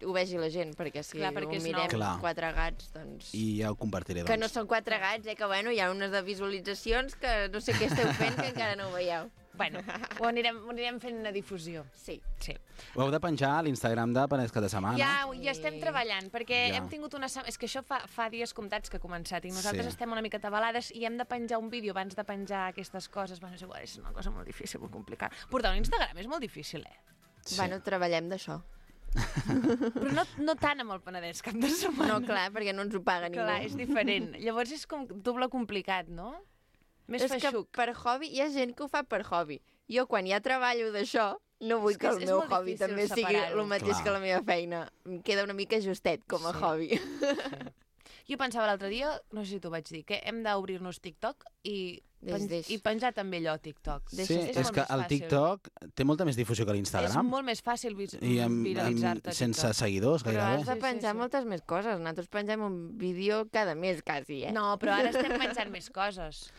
ho vegi la gent, perquè si Clar, perquè ho és mirem nou. Clar. 4 gats, doncs... I ja ho compartiré, Que no doncs. són 4 gats, que bueno, hi ha unes de visualitzacions que no sé què esteu fent, que encara no ho veieu. Bueno, ho anirem fent una difusió. Sí. Sí. Ho heu de penjar a l'Instagram de Penedès Cap de Setmana. Ja estem treballant, perquè Ja. hem tingut una setmana... És que això fa dies comptats que ha començat i nosaltres Sí. estem una mica atabalades i hem de penjar un vídeo abans de penjar aquestes coses. Bueno, és igual, és una cosa molt difícil, molt complicada. Portar un Instagram és molt difícil, Sí. Bueno, treballem d'això. Però no tant amb el Penedès cap de setmana. No, clar, perquè no ens ho paga ningú. Clar, és diferent. Llavors és com doble complicat, no? Més És que feixuc. per hobby, hi ha gent que ho fa per hobby. Jo, quan ja treballo d'això, no vull És que que el és meu molt hobby difícil també sigui separar-ho. el mateix Clar. que la meva feina. Em queda una mica justet com a Sí. hobby. Jo pensava l'altre dia, no sé si t'ho vaig dir, que hem d'obrir-nos TikTok i penjar també allò a TikTok. Sí, És és molt que més el fàcil. TikTok té molta més difusió que És l'Instagram. molt més fàcil I viralitzar-te a sense TikTok. seguidors, Però gairebé. has de Sí, penjar sí. moltes més coses. Nosaltres pengem un vídeo cada mes, quasi, No, però ara estem penjant més coses.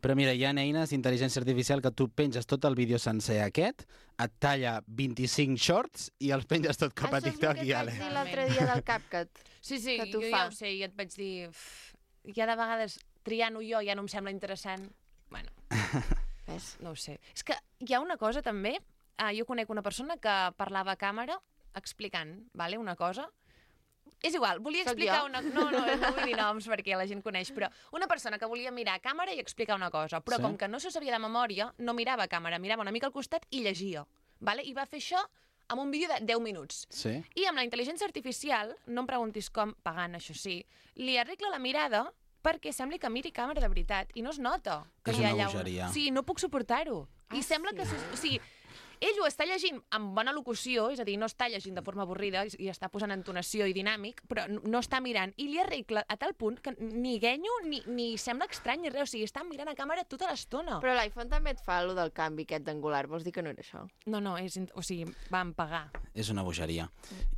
Però mira, hi ha eines d'intel·ligència artificial que tu penges tot el vídeo sencer aquest, et talla 25 shorts i els penges tot cap a TikTok i Això és el que ale. et vaig dir l'altre dia del CapCut. Sí, sí, Que t'ho jo fa. ja ho sé, i et vaig dir... Ja de vegades, triant-ho jo, ja no em sembla interessant. Bueno, Ves? no ho sé. És que hi ha una cosa també... Jo conec una persona que parlava a càmera explicant, vale, una cosa. És igual, volia Soc explicar jo? una... No vull dir noms perquè la gent coneix, però una persona que volia mirar a càmera i explicar una cosa, però Sí. com que no s'ho sabia de memòria, no mirava a càmera, mirava una mica al costat i llegia. Vale? I va fer això amb un vídeo de 10 minuts. Sí? I amb la intel·ligència artificial, no em preguntis com, pagant, això sí, li arregla la mirada perquè sembli que miri càmera de veritat i no es nota que És hi ha una allà bogeria. Sí, no puc suportar-ho. I sembla que... O sigui, ell ho està llegint amb bona locució, és a dir, no està llegint de forma avorrida i està posant entonació i dinàmic, però no està mirant. I li arregla a tal punt que ni guenyo ni sembla estrany ni res. O sigui, està mirant a càmera tota l'estona. Però l'iPhone també et fa allò del canvi aquest d'angular. Vols dir que no era això? No, o sigui, vam pagar. És una bogeria.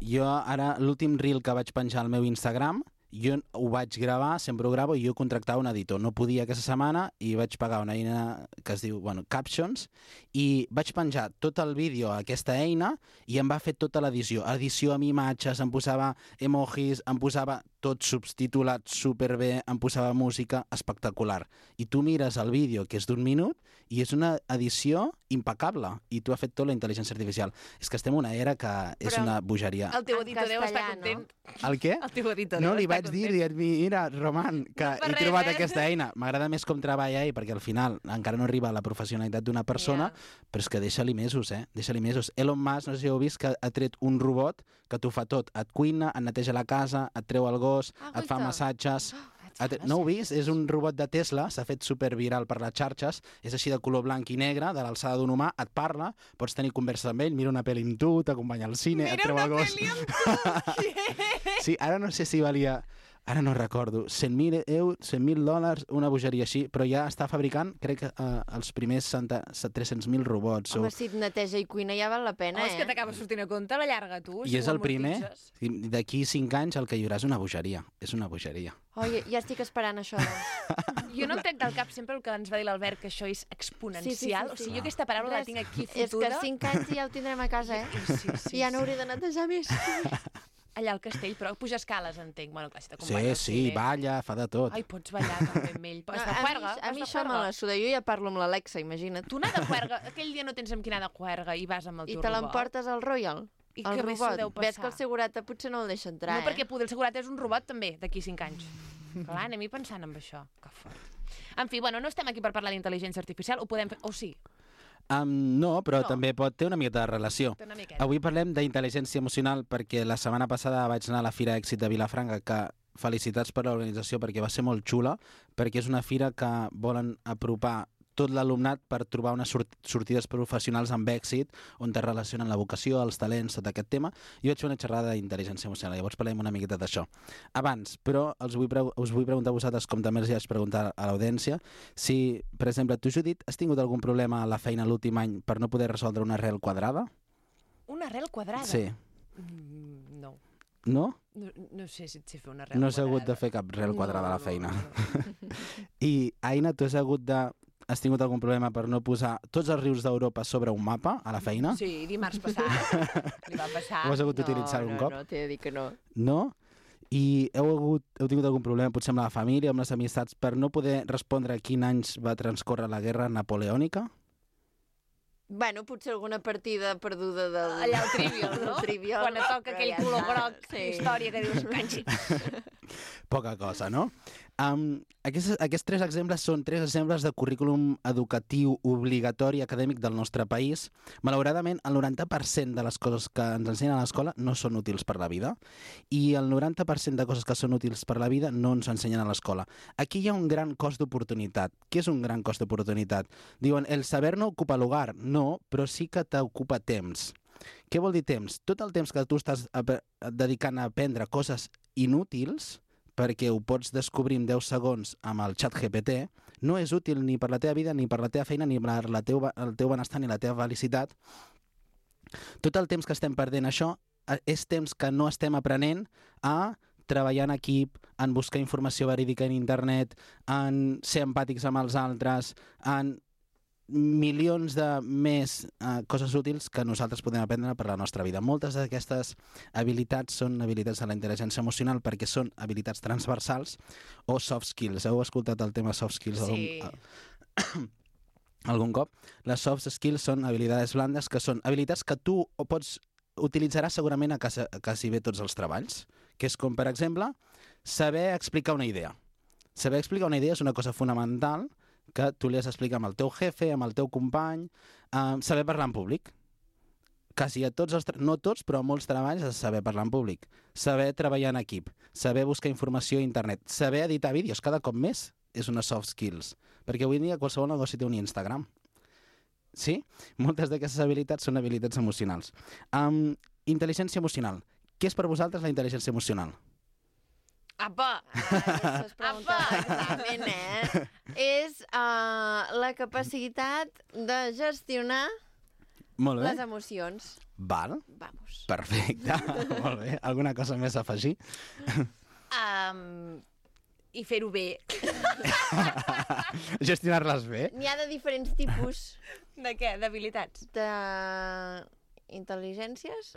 Jo ara, l'últim reel que vaig penjar al meu Instagram, jo ho vaig gravar, sempre ho gravo, i jo contractava un editor. No podia aquesta setmana i vaig pagar una eina que es diu, Captions, i vaig penjar tot el vídeo a aquesta eina i em va fer tota l'edició. Edició amb imatges, em posava emojis, em posava tot subtitulat superbé, em posava música espectacular. I tu mires el vídeo, que és d'1 minut, i és una edició impecable. I tu has fet tot la intel·ligència artificial. És que estem en una era que és Però una bogeria. El teu En editor deu estar castellà, content. El què? El teu editor No, deu li estar vaig dir, content. mira, Roman, que No per he res, trobat eh? aquesta eina. M'agrada més com treballa ell, perquè al final encara no arriba a la professionalitat d'una persona, però és que deixa-li mesos, Deixa-li mesos. Elon Musk, no sé si heu vist, que ha tret un robot que t'ho fa tot. Et cuina, et neteja la casa, et treu el gos, et fa guaita. massatges... No ho heu vist? És un robot de Tesla, s'ha fet superviral per les xarxes, és així de color blanc i negre, de l'alçada d'un humà, et parla, pots tenir conversa amb ell, mira una pel·li amb tu, t'acompanya al cine, et treu el gos... Sí, ara no sé si valia... Ara no recordo, 100.000 euros, 100.000 dòlars, una bogeria així, però ja està fabricant, crec que els primers 300.000 robots. Home, si et neteja i cuina ja val la pena, És que t'acaba sortint a compte a la llarga, tu. I si és ho el primer, amortitzes. d'aquí 5 anys el que hi haurà és una bogeria. És una bogeria. Oi, ja estic esperant això. Doncs. Jo no em trec del cap sempre el que ens va dir l'Albert, que això és exponencial. Sí, sí, sí, sí. O sigui, jo aquesta paraula la tinc aquí És que fotuda. 5 anys ja ho tindrem a casa, Sí, I ja no hauré de netejar més. Allà al castell, però puja escales, entenc. Bueno, clar, si Sí, t'acompanya al sí, cine. balla, fa de tot. Ai, pots ballar també amb ell. Has de juerga? A mi això me la suda. Jo ja parlo amb l'Alexa, imagina't. Tu anar de juerga, aquell dia no tens amb qui anar de juerga i vas amb el I teu te robot. l'emportes al Royal? I el que bé s'ho robot. deu Ves passar. que el segurata potser no el deixa entrar, No, perquè poder el segurat és un robot també, d'aquí 5 anys. Clar, anem-hi pensant en això. Que fort. En fi, bueno, no estem aquí per parlar d'intel·ligència artificial, ho podem fer... O sí, No, però No. també pot ter una miqueta de relació. té una miqueta. Avui parlem d'intel·ligència emocional perquè la setmana passada vaig anar a la Fira Èxit de Vilafranca, que felicitats per l'organització perquè va ser molt xula, perquè és una fira que volen apropar tot l'alumnat per trobar unes sortides professionals amb èxit on te relacionen la vocació, els talents, tot aquest tema. Jo vaig fer una xerrada d'intel·ligència emocional, llavors parlem una miqueta d'això. Abans, però, us vull preguntar a vosaltres, com també els vaig preguntar a l'audiència, si, per exemple, tu, Judit, has tingut algun problema a la feina l'últim any per no poder resoldre una arrel quadrada? Una arrel quadrada? Sí. No. No? No sé si et sé fer una arrel No has quadrada. hagut de fer cap arrel quadrada a la No, feina. no. I, Aina, tu has hagut de has tingut algun problema per no posar tots els rius d'Europa sobre un mapa a la feina? Sí, dimarts passat. Li va passar. Ho has hagut d'utilitzar algun cop? No, t'he de dir que no. No? I heu tingut algun problema, potser amb la família, amb les amistats, per no poder respondre a quin anys va transcórrer la guerra napoleònica? Bueno, potser alguna partida perduda del... Allà al Trivial, no? Del Trivial, Quan et toca però aquell ja color està. groc, història que dius, canxi. Poca cosa, no? Aquests 3 exemples són 3 exemples de currículum educatiu obligatori acadèmic del nostre país. Malauradament, el 90% de les coses que ens ensenyen a l'escola no són útils per la vida i el 90% de coses que són útils per la vida no ens ensenyen a l'escola. Aquí hi ha un gran cost d'oportunitat. Què és un gran cost d'oportunitat? Diuen, el saber no ocupa lugar. No, però sí que t'ocupa temps. Què vol dir temps? Tot el temps que tu estàs dedicant a aprendre coses inútils, perquè ho pots descobrir en 10 segons amb el xat GPT, no és útil ni per la teva vida, ni per la teva feina, ni per el teu benestar, ni la teva felicitat. Tot el temps que estem perdent això és temps que no estem aprenent a treballar en equip, en buscar informació verídica en internet, en ser empàtics amb els altres, en milions de més coses útils que nosaltres podem aprendre per la nostra vida. Moltes d'aquestes habilitats són habilitats de la intel·ligència emocional perquè són habilitats transversals o soft skills. Heu escoltat el tema soft skills algun cop? Les soft skills són habilitats blandes, que són habilitats que tu utilitzaràs segurament a quasi bé tots els treballs, que és com, per exemple, saber explicar una idea. Saber explicar una idea és una cosa fonamental que tu li has d'explicar amb el teu jefe, amb el teu company, saber parlar en públic. Quasi a tots no tots, però a molts treballs has de saber parlar en públic. Saber treballar en equip, saber buscar informació a internet, saber editar vídeos cada cop més és una soft skills, perquè avui en dia qualsevol negoci té un Instagram. Sí? Moltes d'aquestes habilitats són habilitats emocionals. Intel·ligència emocional. Què és per vosaltres la intel·ligència emocional? Apa! Aquestes preguntes d'examen, És la capacitat de gestionar Molt bé. les emocions. Val. Vamos. Perfecte. Molt bé. Alguna cosa més a afegir? I fer-ho bé. Gestionar-les bé. N'hi ha de diferents tipus De què? D'habilitats? d'intel·ligències.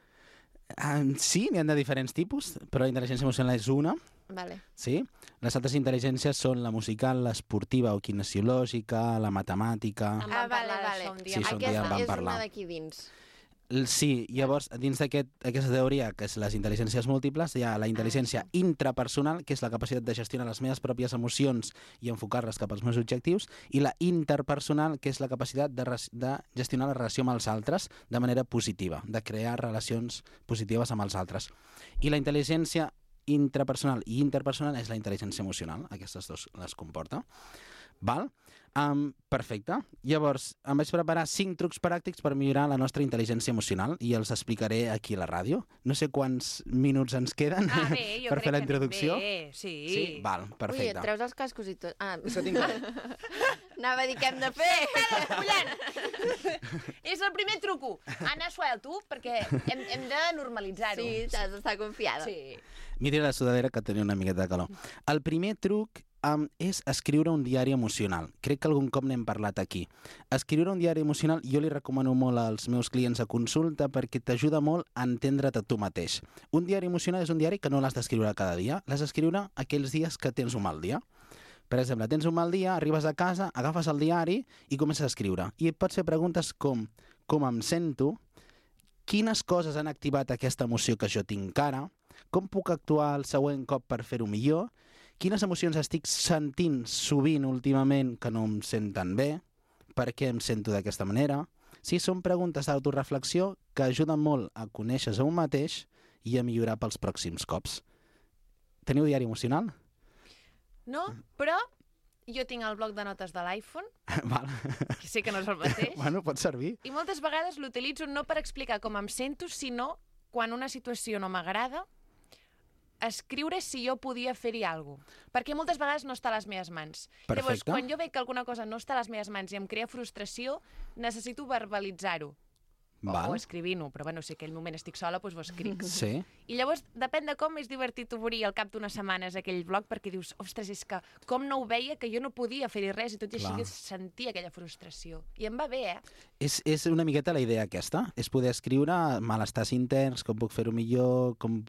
Sí, n'hi ha de diferents tipus, però la intel·ligència emocional és una. Vale. Sí? Les altres intel·ligències són la musical, l'esportiva o kinesiològica, la matemàtica... En vam parlar vale. d'això un dia. Sí, un dia en Aquesta vam és parlar. una d'aquí dins. Sí, llavors, dins d'aquesta teoria, que és les intel·ligències múltiples, hi ha la intel·ligència intrapersonal, que és la capacitat de gestionar les meves pròpies emocions i enfocar-les cap als meus objectius, i la interpersonal, que és la capacitat de gestionar la relació amb els altres de manera positiva, de crear relacions positives amb els altres. I la intel·ligència intrapersonal i interpersonal és la intel·ligència emocional, aquestes dues les comporta. Val? Perfecte. Llavors, em vaig preparar 5 trucs pràctics per millorar la nostra intel·ligència emocional i els explicaré aquí a la ràdio. No sé quants minuts ens queden Bé, jo per crec fer la que introducció. Bé, sí. Sí? Val, Ui, et perfecte. treus els cascos i tot. És que tinc... Anava a dir què hem de fer. És el primer truco. Anna, suelto, perquè hem de normalitzar-ho. Sí, t'has d'estar confiada. Sí. Mira la sudadera que tenia una miqueta de calor. El primer truc és escriure un diari emocional. Crec que algun cop n'hem parlat aquí. Escriure un diari emocional jo li recomano molt als meus clients a consulta perquè t'ajuda molt a entendre't a tu mateix. Un diari emocional és un diari que no l'has d'escriure cada dia, l'has d'escriure aquells dies que tens un mal dia. Per exemple, tens un mal dia, arribes a casa, agafes el diari i comences a escriure. I et pots fer preguntes com em sento, quines coses han activat aquesta emoció que jo tinc ara, com puc actuar el següent cop per fer-ho millor, quines emocions estic sentint sovint últimament que no em senten bé, per què em sento d'aquesta manera. Sí, són preguntes d'autoreflexió que ajuden molt a conèixer-se a un mateix i a millorar pels pròxims cops. Teniu diari emocional? No, però jo tinc el bloc de notes de l'iPhone, Val. que sé que no és el mateix, Bueno, pot servir. i moltes vegades l'utilitzo no per explicar com em sento, sinó quan una situació no m'agrada, escriure si jo podia fer-hi alguna cosa. Perquè moltes vegades no està a les meves mans. Perfecte. Llavors, quan jo veig que alguna cosa no està a les meves mans i em crea frustració, necessito verbalitzar-ho. Val. o escrivint-ho, però bueno, si aquell moment estic sola, doncs ho escric. Sí. I llavors, depèn de com, és divertit obrir al cap d'unes setmanes aquell blog, perquè dius, ostres, és que com no ho veia, que jo no podia fer-hi res, i tot i Clar. així sentia aquella frustració. I em va bé, És una miqueta la idea aquesta, és poder escriure malestars interns, com puc fer-ho millor, com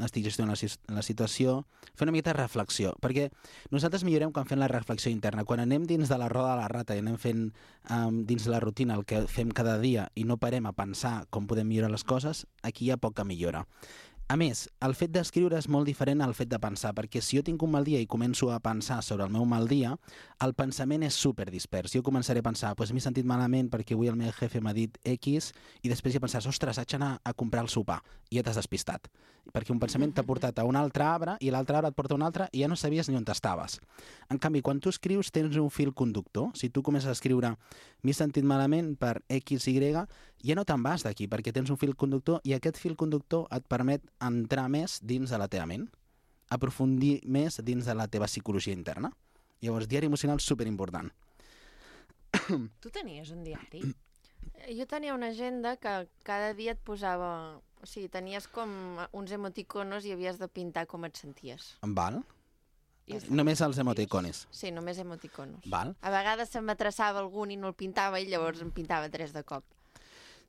estic gestionant la situació, fer una miqueta de reflexió, perquè nosaltres millorem quan fem la reflexió interna. Quan anem dins de la roda de la rata i anem fent dins la rutina el que fem cada dia i no parem a pensar com podem millorar les coses, aquí hi ha poca millora. A més, el fet d'escriure és molt diferent al fet de pensar, perquè si jo tinc un mal dia i començo a pensar sobre el meu mal dia, el pensament és superdispers. Jo començaré a pensar, doncs m'he sentit malament perquè avui el meu jefe m'ha dit X, i després ja pensaràs, ostres, haig d'anar a comprar el sopar, i ja t'has despistat. Perquè un pensament t'ha portat a un altre arbre, i l'altre arbre et porta a un altre, i ja no sabies ni on estaves. En canvi, quan tu escrius, tens un fil conductor. Si tu comences a escriure, m'he sentit malament per X, Y, ja no te'n vas d'aquí, perquè tens un fil conductor, i aquest fil conductor et permet entrar més dins de la teva ment, aprofundir més dins de la teva psicologia interna. Llavors, diari emocional és superimportant. Tu tenies un diari? Jo tenia una agenda que cada dia et posava... O sigui, tenies com uns emoticonos i havies de pintar com et senties. Val? I Només els emoticones. Sí, només emoticonos. Val? A vegades se m'atraçava algun i no el pintava i llavors en pintava 3 de cop.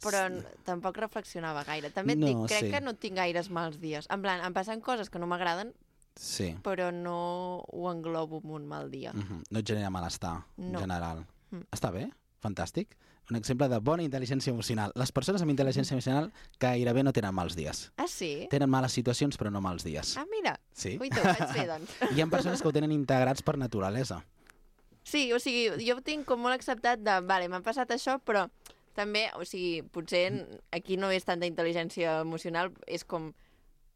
Però tampoc reflexionava gaire. També et No, dic, crec sí. que no tinc gaires mals dies. En plan, em passen coses que no m'agraden, Sí. però no ho englobo en un mal dia. No et genera malestar, en No. general. Mm. Està bé, fantàstic. Un exemple de bona intel·ligència emocional. Les persones amb intel·ligència emocional gairebé no tenen mals dies. Ah, sí? Tenen males situacions, però no mals dies. Ah, mira. Sí? Ui, ho vaig fer, doncs. Hi ha persones que ho tenen integrats per naturalesa. Sí, o sigui, jo ho tinc com molt acceptat de, vale, m'ha passat això, però també, o sigui, potser aquí no és tanta intel·ligència emocional, és com,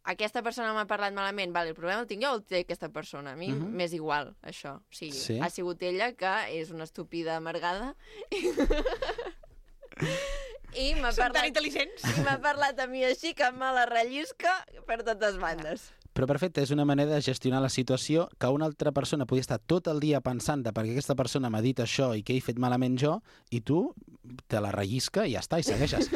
aquesta persona m'ha parlat malament, vale, el problema el tinc jo o el té aquesta persona? A mi m'és igual, això. O sigui, Sí? ha sigut ella que és una estúpida amargada i m'ha Són tan parlat, intel·ligents. i m'ha parlat a mi així que me la rellisca per totes bandes. Però perfecte, és una manera de gestionar la situació que una altra persona podria estar tot el dia pensant de perquè aquesta persona m'ha dit això i què he fet malament jo, i tu te la rellisca i ja està, i segueixes.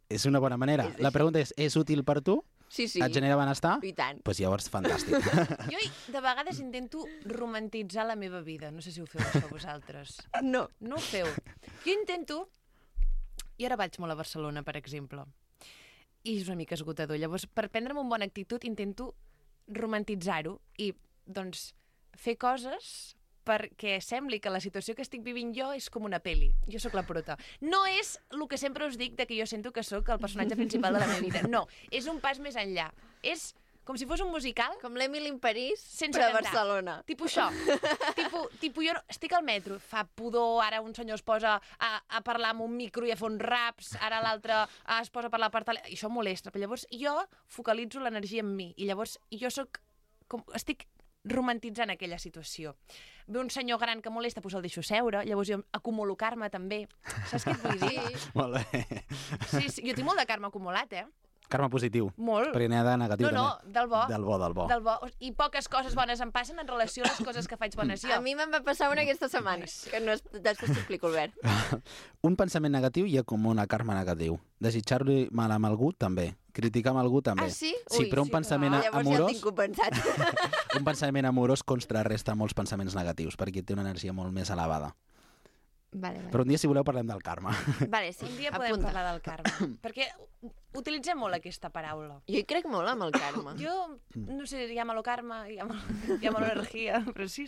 És una bona manera. La pregunta és útil per tu? Sí, sí. Et genera benestar? I tant. Doncs llavors, fantàstic. Jo de vegades intento romantitzar la meva vida. No sé si ho feu això vosaltres. No. No ho feu. Jo intento... Jo ara vaig molt a Barcelona, per exemple, i és una mica esgotador. Llavors, per prendre'm una bona actitud, intento romantitzar-ho i, doncs, fer coses perquè sembli que la situació que estic vivint jo és com una peli. Jo sóc la prota. No és el que sempre us dic de que jo sento que sóc el personatge principal de la meva vida. No, és un pas més enllà. És com si fos un musical Com l'Emily in París, sense però a cantar. Barcelona. Tipo això. tipo jo estic al metro, fa pudor, ara un senyor es posa a parlar amb un micro i a fer uns raps, ara l'altre es posa a parlar per telèfon, i això molesta. Però llavors jo focalitzo l'energia en mi, i llavors jo estic romantitzant aquella situació. Ve un senyor gran que molesta, doncs el deixo seure, llavors jo acumulo karma també. Saps què et vull dir? Molt bé. Sí, jo tinc molt de karma acumulat, Karma positiu. Molt. Perquè n'hi ha de negatiu No, també. del bo. Del bo, del bo. Del bo. I poques coses bones em passen en relació a les coses que faig bones jo. A mi me'n va passar una aquesta setmana, que no és... després t'explico, Albert. Un pensament negatiu hi ha com una karma negatiu. Desitjar-li mal amb algú, també. Criticar amb algú, també. Ah, sí? Sí, Ui, però un sí. pensament Llavors ja el amorós... tinc compensat. Un pensament amorós contrarresta molts pensaments negatius, perquè té una energia molt més elevada. Vale. Però un dia, si voleu, parlem del karma. Vale, sí, Un dia podem apunta. parlar del karma, perquè utilitzem molt aquesta paraula. Jo hi crec molt amb el karma. Jo, no sé, llámalo karma, llámalo energia, però sí.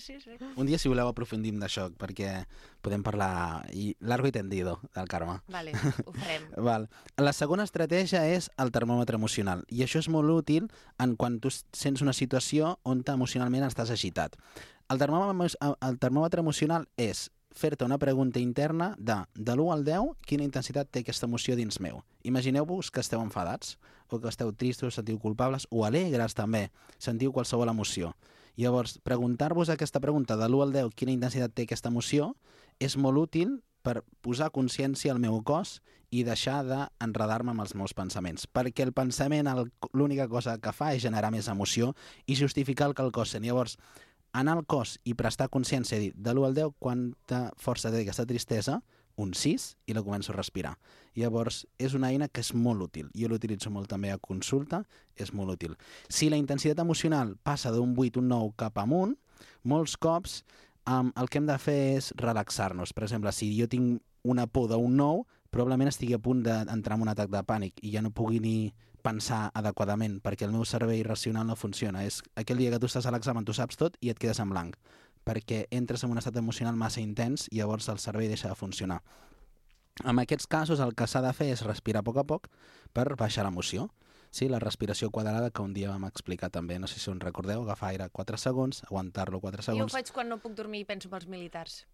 Un dia, si voleu, aprofundim d'això, perquè podem parlar largo i tendido del karma. Vale, ho farem. Val. La segona estratègia és el termòmetre emocional, i això és molt útil en quan tu sents una situació on emocionalment estàs agitat. El termòmetre emocional és fer-te una pregunta interna de l'1 al 10, quina intensitat té aquesta emoció dins meu. Imagineu-vos que esteu enfadats, o que esteu tristos, sentiu culpables, o alegres també, sentiu qualsevol emoció. Llavors, preguntar-vos aquesta pregunta de l'1 al 10, quina intensitat té aquesta emoció, és molt útil per posar consciència al meu cos i deixar d'enredar-me amb els meus pensaments. Perquè el pensament l'única cosa que fa és generar més emoció i justificar el que el cos sent. Llavors, anar al cos i prestar consciència i dir de l'1 al 10 quanta força té aquesta tristesa un 6 i la començo a respirar. Llavors, és una eina que és molt útil. Jo l'utilitzo molt també a consulta, és molt útil. Si la intensitat emocional passa d'un 8, un 9 cap amunt, molts cops el que hem de fer és relaxar-nos. Per exemple, si jo tinc una por d'un 9, probablement estigui a punt d'entrar en un atac de pànic i ja no pugui ni pensar adequadament, perquè el meu cervell racional no funciona. És aquell dia que tu estàs a l'examen, tu saps tot i et quedes en blanc, perquè entres en un estat emocional massa intens i llavors el cervell deixa de funcionar. En aquests casos el que s'ha de fer és respirar a poc per baixar l'emoció. Sí, la respiració quadrada que un dia vam explicar també, no sé si us recordeu, agafar aire 4 segons, aguantar-lo 4 segons... Jo ho faig quan no puc dormir i penso pels militars.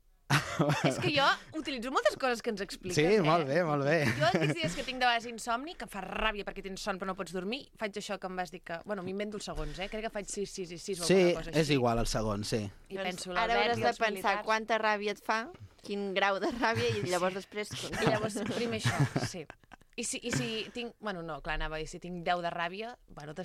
És que jo utilitzo moltes coses que ens expliques. Sí, molt bé, molt bé. Jo aquells dies que tinc de vegades insomni, que em fa ràbia perquè tens son però no pots dormir, faig això que em vas dir que... Bueno, m'invento els segons, Crec que faig 6 o alguna cosa així. És igual el segon, sí. I penso, Ara hauràs de els pensar militars. quanta ràbia et fa, quin grau de ràbia, i llavors després... I llavors, primer això, sí. I si tinc... Bueno, no, clar, anava a dir, si tinc 10 de ràbia, bueno,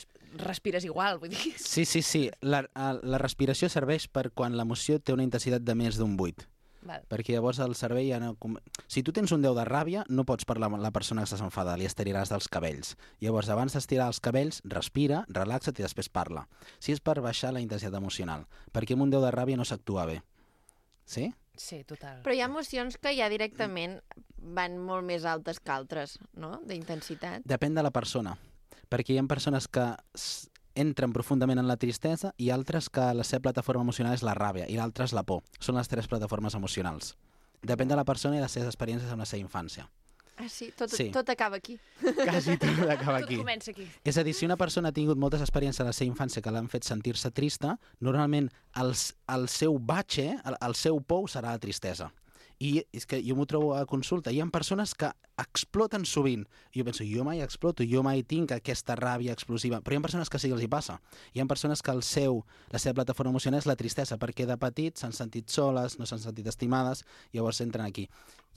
respires igual, vull dir... Sí. La respiració serveix per quan l'emoció té una intensitat de més d'un 8. Val. Perquè llavors el cervell ja no... Si tu tens un 10 de ràbia, no pots parlar amb la persona que estàs enfadada, li estiriràs dels cabells. Llavors, abans d'estirar els cabells, respira, relaxa't i després parla. Si és per baixar la intensitat emocional, perquè amb un 10 de ràbia no s'actua bé. Sí? Sí, total. Però hi ha emocions que ja directament van molt més altes que altres, no?, d'intensitat. Depèn de la persona, perquè hi ha persones que entren profundament en la tristesa i altres que la seva plataforma emocional és la ràbia i l'altra és la por. Són les 3 plataformes emocionals. Depèn de la persona i de les seves experiències amb la seva infància. Ah, sí? Sí. Tot acaba aquí. Quasi tot acaba aquí. Tot comença aquí. És a dir, si una persona ha tingut moltes experiències a la seva infància que l'han fet sentir-se trista, normalment el seu batxe, el seu pou serà la tristesa. I és que jo m'ho trobo a consulta. Hi ha persones que exploten sovint. Jo penso, jo mai exploto, jo mai tinc aquesta ràbia explosiva. Però hi ha persones que sí que els hi passa. Hi ha persones que la seva plataforma emocional és la tristesa, perquè de petit s'han sentit soles, no s'han sentit estimades, llavors entren aquí.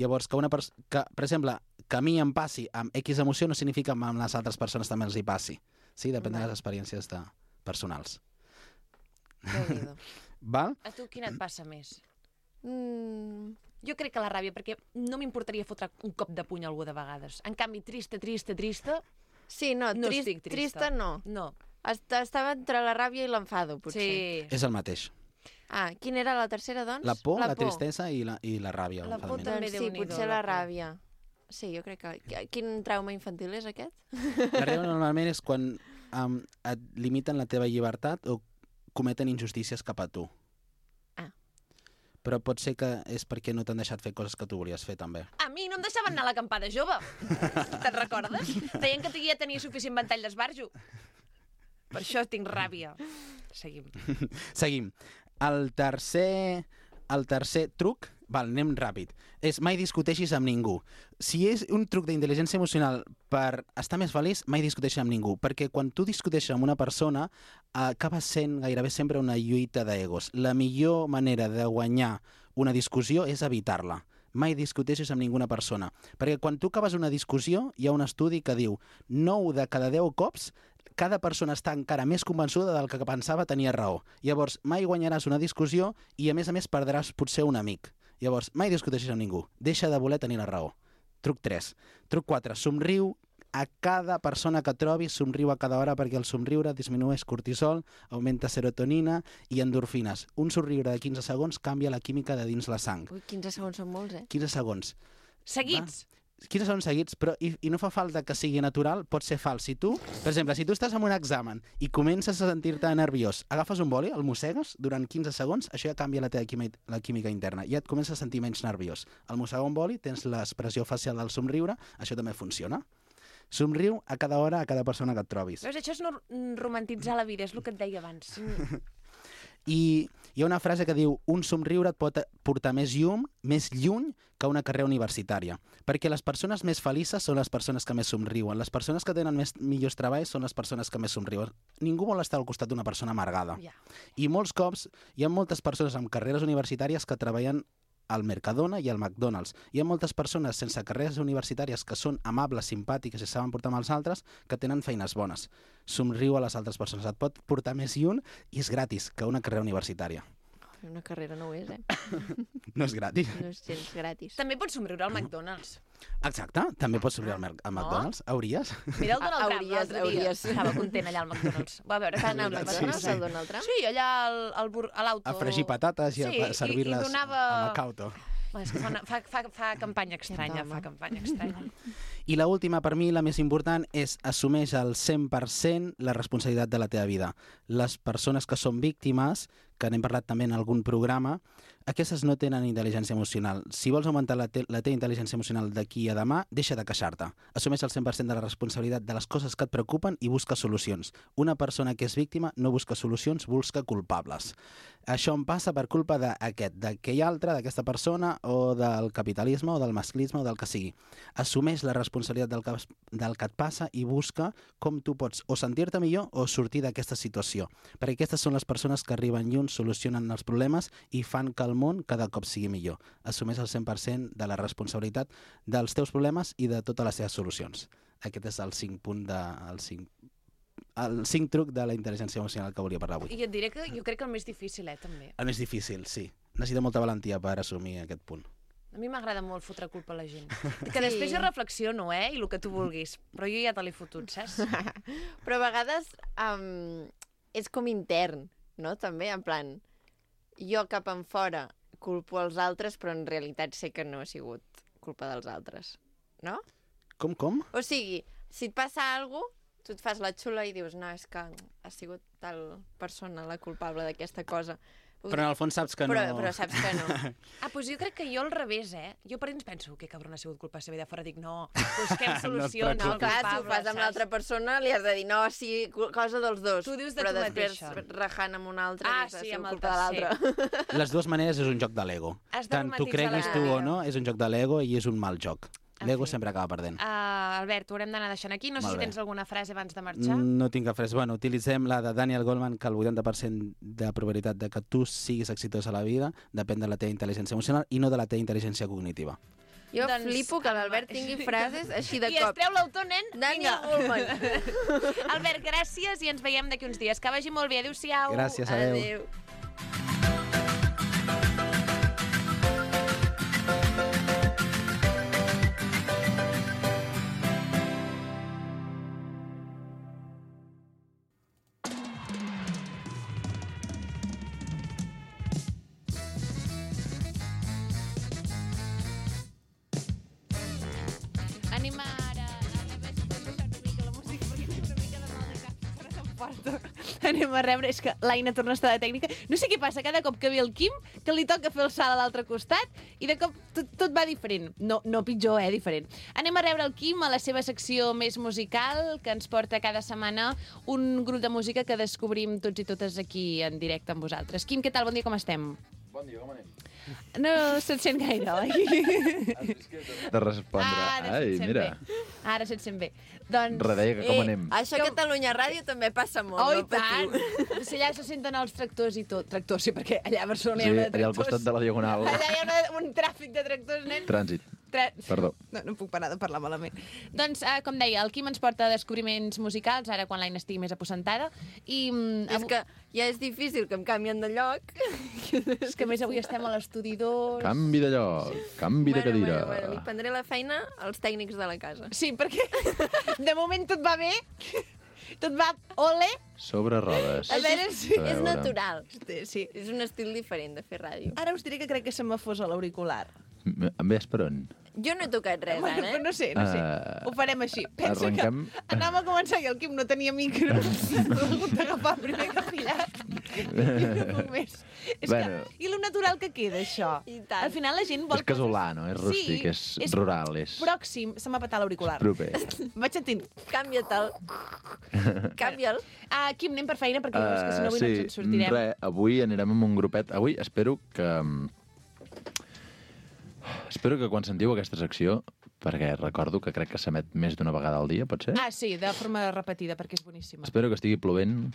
Llavors, que per exemple, que a mi em passi amb X emoció no significa que amb les altres persones també els hi passi. Sí, depèn de les experiències personals. Déu-n'hi-do. Val? A tu quina et passa més? Jo crec que la ràbia, perquè no m'importaria fotre un cop de puny a algú de vegades. En canvi, trista, Sí, no, no estic trista. Trista no. No. Estava entre la ràbia i l'enfado, potser. Sí. És el mateix. Ah, quina era la tercera, doncs? La por, la tristesa i la ràbia. La por l'enfadament. també. Doncs sí, Déu-n'hi-do, potser la la por. ràbia. Sí, jo crec que... Quin trauma infantil és aquest? La ràbia normalment és quan et limiten la teva llibertat o cometen injustícies cap a tu. Ah. Però pot ser que és perquè no t'han deixat fer coses que tu volies fer, també. A mi no em deixaven anar a l'acampada jove. Te'n recordes? Deien que ja tenia suficient ventall d'esbarjo. Per això tinc ràbia. Seguim. Seguim. El tercer truc, anem ràpid, és mai discuteixis amb ningú. Si és un truc d'intel·ligència emocional per estar més feliç, mai discuteixis amb ningú, perquè quan tu discuteixes amb una persona acaba sent gairebé sempre una lluita d'egos. La millor manera de guanyar una discussió és evitar-la. Mai discuteixis amb ninguna persona, perquè quan tu acabes una discussió hi ha un estudi que diu 9 de cada 10 cops cada persona està encara més convençuda del que pensava tenia raó. Llavors, mai guanyaràs una discussió i, a més, perdràs potser un amic. Llavors, mai discuteixis amb ningú. Deixa de voler tenir la raó. Truc 3. Truc 4. Somriu a cada persona que trobis, somriu a cada hora perquè el somriure disminueix cortisol, augmenta serotonina i endorfines. Un somriure de 15 segons canvia la química de dins la sang. Ui, 15 segons són molts, 15 segons. Seguits. 15 segons seguits, però i no fa falta que sigui natural, pot ser fals. Si tu, per exemple, si tu estàs en un examen i comences a sentir-te nerviós, agafes un boli, el mossegues durant 15 segons, això ja canvia la teva química interna, ja et comences a sentir menys nerviós. Al mossegar un boli tens l'expressió facial del somriure, això també funciona. Somriu a cada hora a cada persona que et trobis. Veus, això és no romantitzar la vida, és el que et deia abans. I hi ha una frase que diu un somriure et pot portar més lluny que una carrera universitària. Perquè les persones més felices són les persones que més somriuen. Les persones que tenen millors treballs són les persones que més somriuen. Ningú vol estar al costat d'una persona amargada. Ja. I molts cops hi ha moltes persones amb carreres universitàries que treballen al Mercadona i al McDonald's. Hi ha moltes persones sense carreres universitàries que són amables, simpàtiques i saben portar amb els altres que tenen feines bones. Somriu a les altres persones. Et pot portar més lluny i és gratis que una carrera universitària. Una carrera no ho és, No és gratis. No és gens gratis. També pots somriure al McDonald's. Exacte, també pots obrir al McDonald's. Hauries? Mira el Donald Trump Hauries, l'altre dia. hauries. Estava content allà al McDonald's. Va veure Tant al que McDonald's, sí. el Donald Trump? Sí, allà a l'auto. A fregir patates i Sí, a servir-les i donava... a Macauto. És que fa campanya estranya, Home. fa campanya estranya. I la última, per mi, la més important, és assumeix al 100% la responsabilitat de la teva vida. Les persones que són víctimes, que n'hem parlat també en algun programa, aquestes no tenen intel·ligència emocional. Si vols augmentar la teva intel·ligència emocional d'aquí a demà, deixa de queixar-te. Assumeix el 100% de la responsabilitat de les coses que et preocupen i busca solucions. Una persona que és víctima no busca solucions, busca culpables. Això em passa per culpa d'aquell altre, d'aquesta persona, o del capitalisme, o del masclisme, o del que sigui. Assumeix la responsabilitat del que et passa i busca com tu pots o sentir-te millor o sortir d'aquesta situació. Perquè aquestes són les persones que arriben lluny, solucionen els problemes i fan que el món cada cop sigui millor. Assumeix el 100% de la responsabilitat dels teus problemes i de totes les teves solucions. Aquest és el 5 truc de la intel·ligència emocional que volia parlar avui. I et diré que jo crec que el més difícil, també. El més difícil, sí. Necessita molta valentia per assumir aquest punt. A mi m'agrada molt fotre culpa a la gent. Que després jo reflexiono, i el que tu vulguis. Però jo ja te l'he fotut, saps? Però a vegades és com intern, no? També, en plan, jo cap en fora culpo els altres, però en realitat sé que no ha sigut culpa dels altres, no? Com? O sigui, si et passa alguna cosa, tu et fas la xula i dius, no, és que ha sigut tal persona la culpable d'aquesta cosa. Però en el fons saps que no... Però saps que no. Doncs jo crec que jo al revés, Jo per anys penso que cabrón ha sigut culpa seva i de fora dic, no, busquem solucions. No No, clar, si ho fas amb l'altra persona, li has de dir, no, sí, cosa dels dos. Tu dius de però tu després, mateixa. rajant amb un altre, Ah, dius, ha sí, sigut amb el culpa de l'altre. Les dues maneres és un joc de l'ego. Has de Tant tu romantitzar creguis la tu vida. o no, és un joc de l'ego i és un mal joc. L'ego En fi. sempre acaba perdent. Albert, ho haurem d'anar deixant aquí. No sé Molt si bé. tens alguna frase abans de marxar. No tinc cap frase. Bueno, utilitzem la de Daniel Goleman, que el 80% de probabilitat de que tu siguis exitós a la vida depèn de la teva intel·ligència emocional i no de la teva intel·ligència cognitiva. Jo Doncs, flipo que l'Albert tingui frases així de I es cop. treu l'autor, nen? Daniel Vinga. Goleman. Albert, gràcies i ens veiem d'aquí uns dies. Que vagi molt bé. Adéu-siau. Gràcies, adéu. Adéu. Anem ara a veure si podem baixar una mica la música perquè tinc una mica de mal de cap. Serà tan fort. Anem a rebre, és que l'Aina torna a estar de tècnica. No sé què passa, cada cop que ve el Quim, que li toca fer el salt a l'altre costat i de cop tot va diferent. No pitjor, diferent. Anem a rebre el Quim a la seva secció més musical, que ens porta cada setmana un grup de música que descobrim tots i totes aquí en directe amb vosaltres. Quim, què tal? Bon dia, com estem? Bon dia, com anem? No se't sent gaire, oi? De respondre. Ara Ai, se't sent mira. bé. Ara se't sent bé. Doncs... Redeia que com anem. Això a Catalunya Ràdio també passa molt, Oh, no i tant! patiu. Si allà se senten els tractors i tot. Tractors, sí, perquè allà a Barcelona Sí, hi ha una de allà al tractors. costat de la Diagonal. Allà hi ha un tràfic de tractors, nen. Trànsit. Perdó. No puc parar de parlar malament. Doncs, com deia, el Quim ens porta descobriments musicals, ara quan l'Aina estigui més aposentada. I És que ja és difícil que em canvien de lloc. és que a més avui estem a l'estudi 2. Canvi de lloc, canvi de cadira. Bueno, li prendré la feina als tècnics de la casa. Sí, perquè de moment tot va bé. Tot va ole. Sobre rodes. A veure si... A És veure. natural. Sí. És un estil diferent de fer ràdio. Ara us diré que crec que se m'ha fos a l'auricular. Em ves per on? Jo no he tocat res, Bueno, ara, però no sé. Ho farem així. Pensa arrenquem. que anàvem a començar i el Quim no tenia micro. L'he hagut d'agafar el primer que ha pillat. I no puc més. És Bueno. que, I lo natural que queda, això. I tant. Al final la gent vol És casolà, no? És rústic, Sí, és rural, és pròxim. Se m'ha petat l'auricular. proper. Vaig sentint. Canvia-te'l. Canvia'l. Quim, anem per feina perquè és que si no avui no ens en Sí, sortirem. res, avui anirem amb un grupet. Avui espero que quan sentiu aquesta secció, perquè recordo que crec que s'emet més d'una vegada al dia, pot ser? Sí, de forma repetida, perquè és boníssima. Espero que estigui plovent,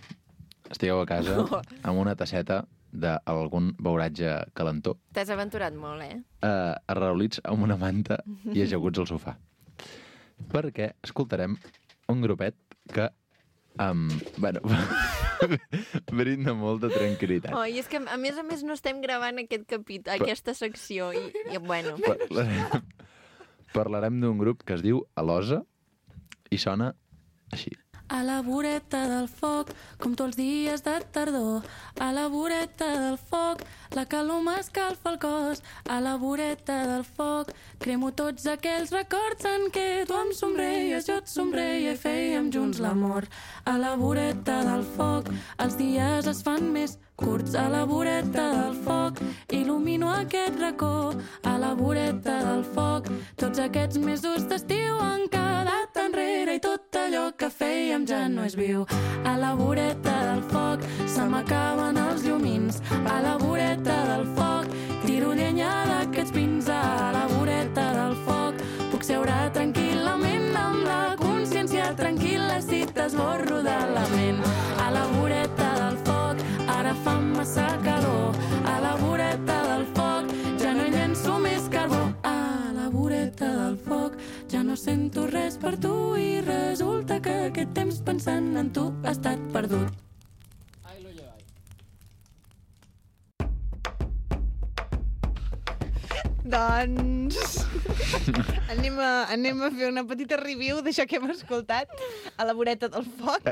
estigueu a casa amb una tasseta d'algun beuratge calentó, T'has aventurat molt, arraulits amb una manta i ajaguts al sofà. Perquè escoltarem un grupet que... bueno, brinda molta tranquil·litat. Oh, i és que, a més, no estem gravant aquesta secció. I bueno, Parlarem d'un grup que es diu Alosa i sona així. A la voreta del foc, com tots els dies de tardor. A la voreta del foc, la calor m'escalfa el cos. A la voreta del foc, cremo tots aquells records en què tu em somreies, jo et somreia i fèiem junts l'amor. A la voreta del foc, els dies es fan més curts. A la voreta del foc, il·lumino aquest racó. A la voreta del foc, tots aquests mesos d'estiu han quedat enrere i tot allò que fèiem ja no és viu. A la voreta del foc se m'acaben els llumins. A la voreta del foc tiro llenya d'aquests pins. A la voreta del foc puc seure tranquil·lament amb la consciència tranquil·la si t'esborro de la ment. A la voreta del foc ara fa massa calor. A la voreta del foc ja no hi llenço més carbó. A la voreta del foc ja no sento res per tu i resulta que aquest temps pensant en tu ha estat perdut. Doncs anem a fer una petita review d'això que hem escoltat a la voreta del foc.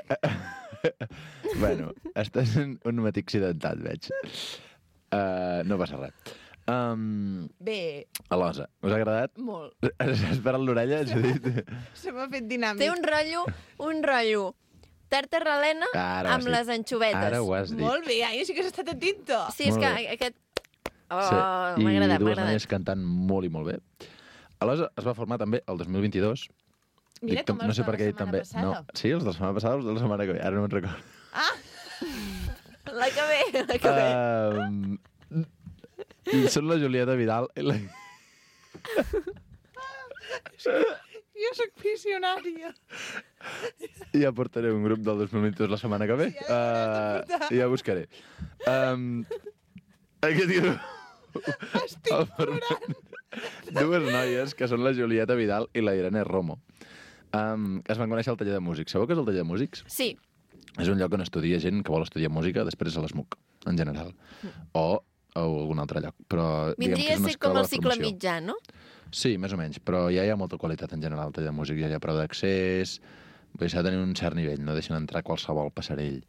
Bueno, estàs en un matí accidentat, veig. No passa res. Bé, Alosa, us ha agradat? molt. Has parat l'orella? Has dit? Se m'ha fet dinàmic. té un rotllo tarta relena Ara ho has amb dit. les anxovetes. Ara ho has dit. Molt bé, ai, sí que has estat atento. Sí, és Molt que bé. aquest... Oh, Sí. m'ha agradat, I m'ha dues noies agradat. cantant molt i molt bé. Alosa es va formar també el 2022. Mira com no els sé de per la què he dit setmana també. passada. No, sí, els de la setmana passada, els de la setmana que ve. Ara no me'n recordo. La que ve. Són la Julieta Vidal i la... Jo soc visionària. Ja portaré un grup del 2022 la setmana que ve. Sí, ja l'hauràs de portar. Ja buscaré. Aquest grup... Estic plorant. Dues noies, que són la Julieta Vidal i la Irene Romo, que es van conèixer al taller de músics. Sabeu què és el taller de músics? Sí, És un lloc on estudia gent que vol estudiar música després a l'ESMUC, en general. O a algun altre lloc. Però, diguem que vindria és a una ser com escola el de cicle formació. mitjà, no? Sí, més o menys, però ja hi ha molta qualitat en general al taller de música, ja hi ha preu d'accés, vull dir, s'ha de tenir un cert nivell, no deixen entrar qualsevol passarell.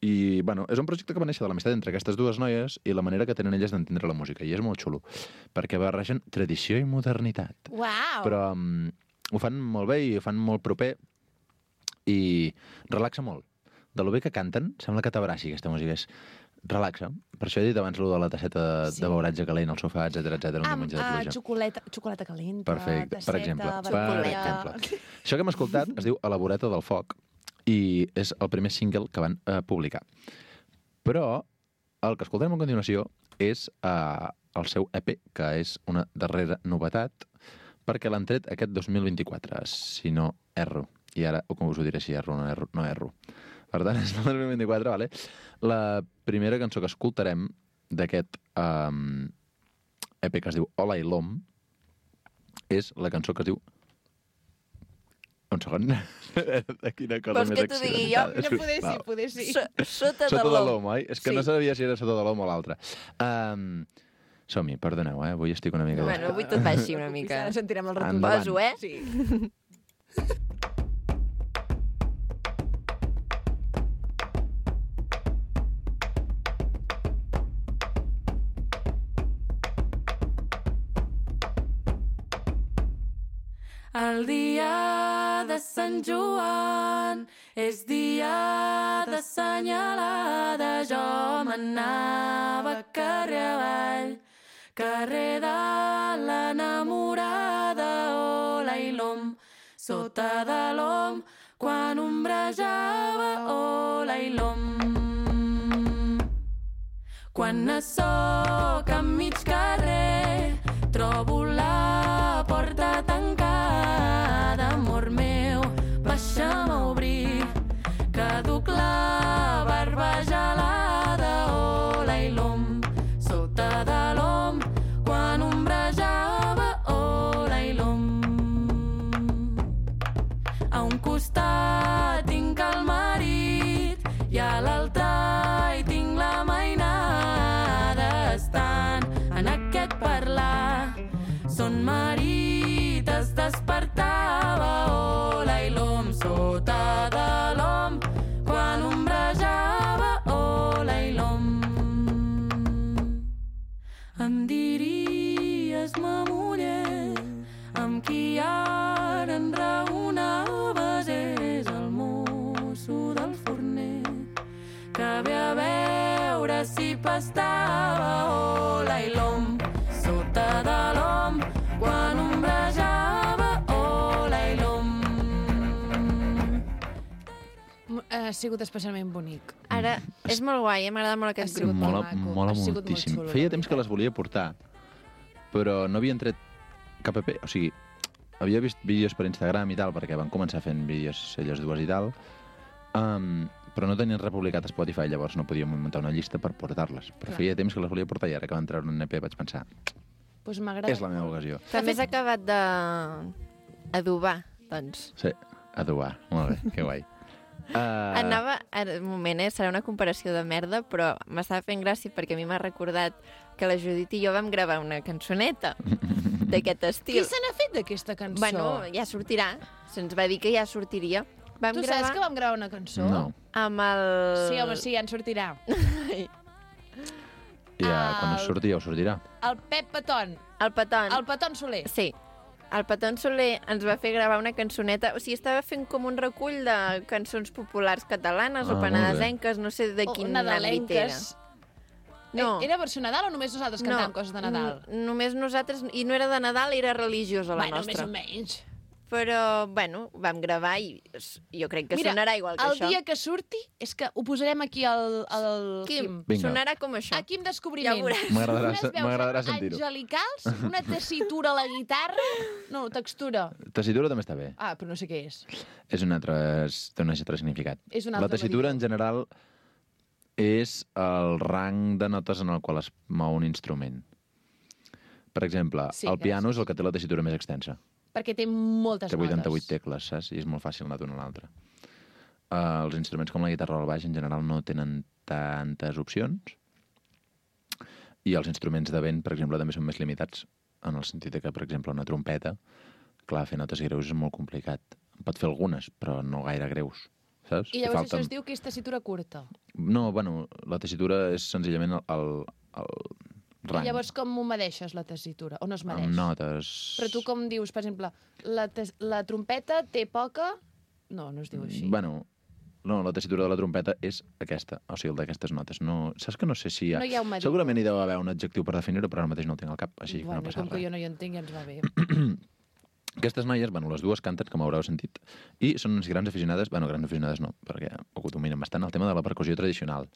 I, bueno, és un projecte que va néixer de l'amistat entre aquestes dues noies i la manera que tenen elles d'entendre la música, i és molt xulo, perquè barregen tradició i modernitat. Uau. Però ho fan molt bé i ho fan molt proper i relaxa molt. De lo bé que canten, sembla que t'abraci aquesta música, relaxa. Per això he dit abans de la tasseta de beuratge calent al sofà, etcètera, un diumenge de pluja. Xocolata calenta, Perfecte, per exemple. vermella. Això que hem escoltat es diu A la voreta del foc i és el primer single que van publicar. Però el que escoltarem a continuació és el seu EP, que és una darrera novetat, perquè l'han tret aquest 2024, si no erro. I ara, com us ho diré, si erro o no erro. Per tant, és el 2024, vale? La primera cançó que escoltarem d'aquest EP que es diu Hola i l'Om és la cançó que es diu... Un segon. De quina cosa Vols més que t'ho digui jo? accidentada. No poder sí. Sota de Sota de l'om. l'om, oi? És que Sí. no sabia si era sota de l'om o l'altre. Som-hi, perdoneu, avui estic una mica... Bueno, avui tot va així una mica. Ara sentirem el retorn. Endavant. Poso, eh? Sí. El dia de Sant Joan és dia d'assenyalada. Jo m'anava carrer avall, carrer de l'enamorada. Hola i l'om, sota de l'om, quan ombrejava. Hola i l'om. Quan soc a mig carrer, trobo la porta tancada. Amor meu, baixa'm a obrir, que duc la barba gelada. Hola i l'om, sota de l'om, quan ombrejava. Hola i l'om. A un costat tinc el marí, em diries, ma muller, amb qui ara enraonaves és el mosso del forner, que ve a veure si pastava ola i l'om sota de l'om quan ombrejava ola i l'om. Ha sigut especialment bonic. Ara, és molt guai, m'agrada molt aquest grup. Mola Ha sigut molt moltíssim. xulo, Feia la temps que les volia portar, però no havien tret cap EP. O sigui, havia vist vídeos per Instagram i tal, perquè van començar fent vídeos elles dues i tal, però no tenien republicat a Spotify, llavors no podíem muntar una llista per portar-les. Però feia temps que les volia portar i ara que van treure un EP vaig pensar, Pues m'agrada. és la meva ocasió. També has acabat d'adobar, doncs. Sí, adobar. Molt bé, que guai. Anava, ara, un moment, serà una comparació de merda, però m'estava fent gràcia perquè a mi m'ha recordat que la Judit i jo vam gravar una cançoneta d'aquest Qui estil. se n'ha fet d'aquesta cançó? Bueno, ja sortirà. Se'ns va dir que ja sortiria. Vam tu saps que vam gravar una cançó? No. amb el... Sí, home, sí, ja en sortirà. Ja, quan us surti ja us sortirà. El Pep Petón. El Petón. El Petón Soler. Sí. El Petón Soler ens va fer gravar una cançoneta, o sigui, estava fent com un recull de cançons populars catalanes o molt bé. penedesenques, no sé de quin àmbit era. nadalenques. No. Era versió Nadal o només nosaltres cantàvem coses de Nadal? Només nosaltres, i no era de Nadal, era religiosa la Bueno, nostra. més o menys. Però, bueno, vam gravar i jo crec que sonarà igual que el això. dia que surti és que ho posarem aquí al Quim, Vinga. sonarà com això. Aquí amb descobriment. Ja veuràs. M'agradarà sentir-ho. Angelicals, una tessitura a la guitarra... No, textura. Tessitura també està bé. Ah, però no sé què és. És un altre, té un altre significat. És un La altre tessitura, medicament. en general, és el rang de notes en el qual es mou un instrument. Per exemple, Sí, el piano gràcies. és el que té la tessitura més extensa. Perquè té moltes Té 88 notes. tecles, saps? I és molt fàcil anar d'una a l'altra. Els instruments com la guitarra o el baix en general no tenen tantes opcions i els instruments de vent, per exemple, també són més limitats en el sentit de que, per exemple, una trompeta, clar, fer notes greus és molt complicat. En pot fer algunes, però no gaire greus, saps? I llavors això es diu que és tessitura curta. No, bueno, la tessitura és senzillament el rang. I llavors com ho medeixes, la tessitura? O no es medeix? Amb notes... Però tu com dius, per exemple, la trompeta té poca... No, no es diu així. Bueno, no, la tessitura de la trompeta és aquesta, o sigui, el d'aquestes notes. No, saps que no sé si hi ha... No hi ha un medidor. Segurament hi deu haver un adjectiu per definir-ho, però ara mateix no el tinc al cap, així que Bueno, no passa com que res. jo no hi entenc, ja ens va bé. Aquestes noies, bueno, les dues canten, com haureu sentit, i són unes grans aficionades, bueno, grans aficionades no, perquè ho dominen bastant, el tema de la percussió tradicional.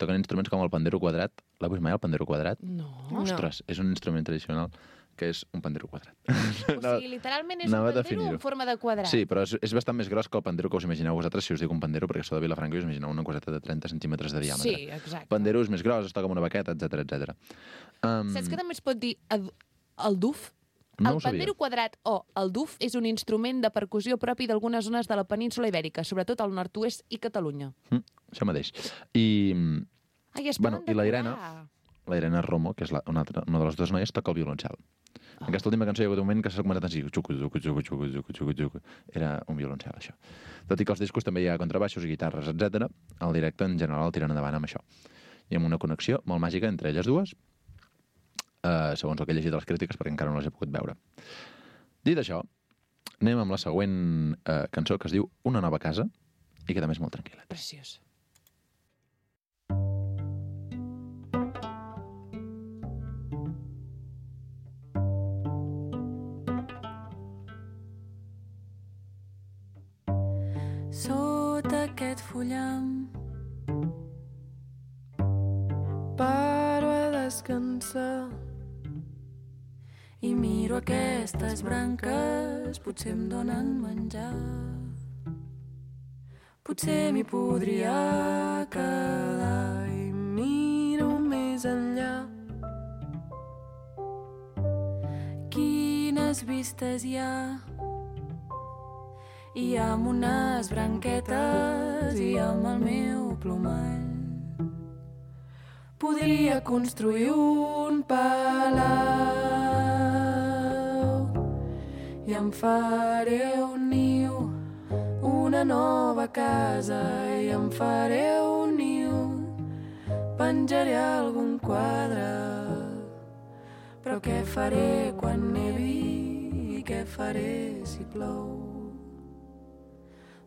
Toquen instruments com el pandero quadrat. L'heu vist mai, el pandero quadrat? No. Ostres, és un instrument tradicional que és un pandero quadrat. O sigui, literalment és un anava a pandero definir-ho. en forma de quadrat. Sí, però és bastant més gros que el pandero que us imagineu vosaltres si us dic un pandero, perquè sou de Vilafranca i us imagineu una coseta de 30 centímetres de diàmetre. Sí, exacte. Pandero és més gros, es toca amb una baqueta, etc etc. Saps que també es pot dir el duf? No El ho sabia. pandero quadrat o el duf és un instrument de percussió propi d'algunes zones de la península Ibèrica, sobretot al nord-oest i Catalunya. Això mateix. I Ai, es Bueno, poden i la decorar. Irene Romo, que és una de les dues noies, toca el violoncel. En aquesta última cançó hi ha hagut un moment que s'ha comentat així, xucu, xucu, xucu, xucu, xucu, xucu, xucu. Era un violoncel, això. Tot i que als discos també hi ha contrabaixos i guitarres, etc. El directe en general el tiren endavant amb això. I amb una connexió molt màgica entre elles dues, segons el que he llegit de les crítiques, perquè encara no les he pogut veure. Dit això, anem amb la següent cançó, que es diu Una nova casa, i que també és molt tranquil·la. Preciós. Sota aquest fullam paro a descansar i miro aquestes branques, potser em donen menjar. Potser m'hi podria quedar i miro més enllà. Quines vistes hi ha? I amb unes branquetes i amb el meu plomall podria construir un palau i em faré un niu, una nova casa i em faré un niu, penjaré algun quadre Però què faré quan nevi i què faré si plou?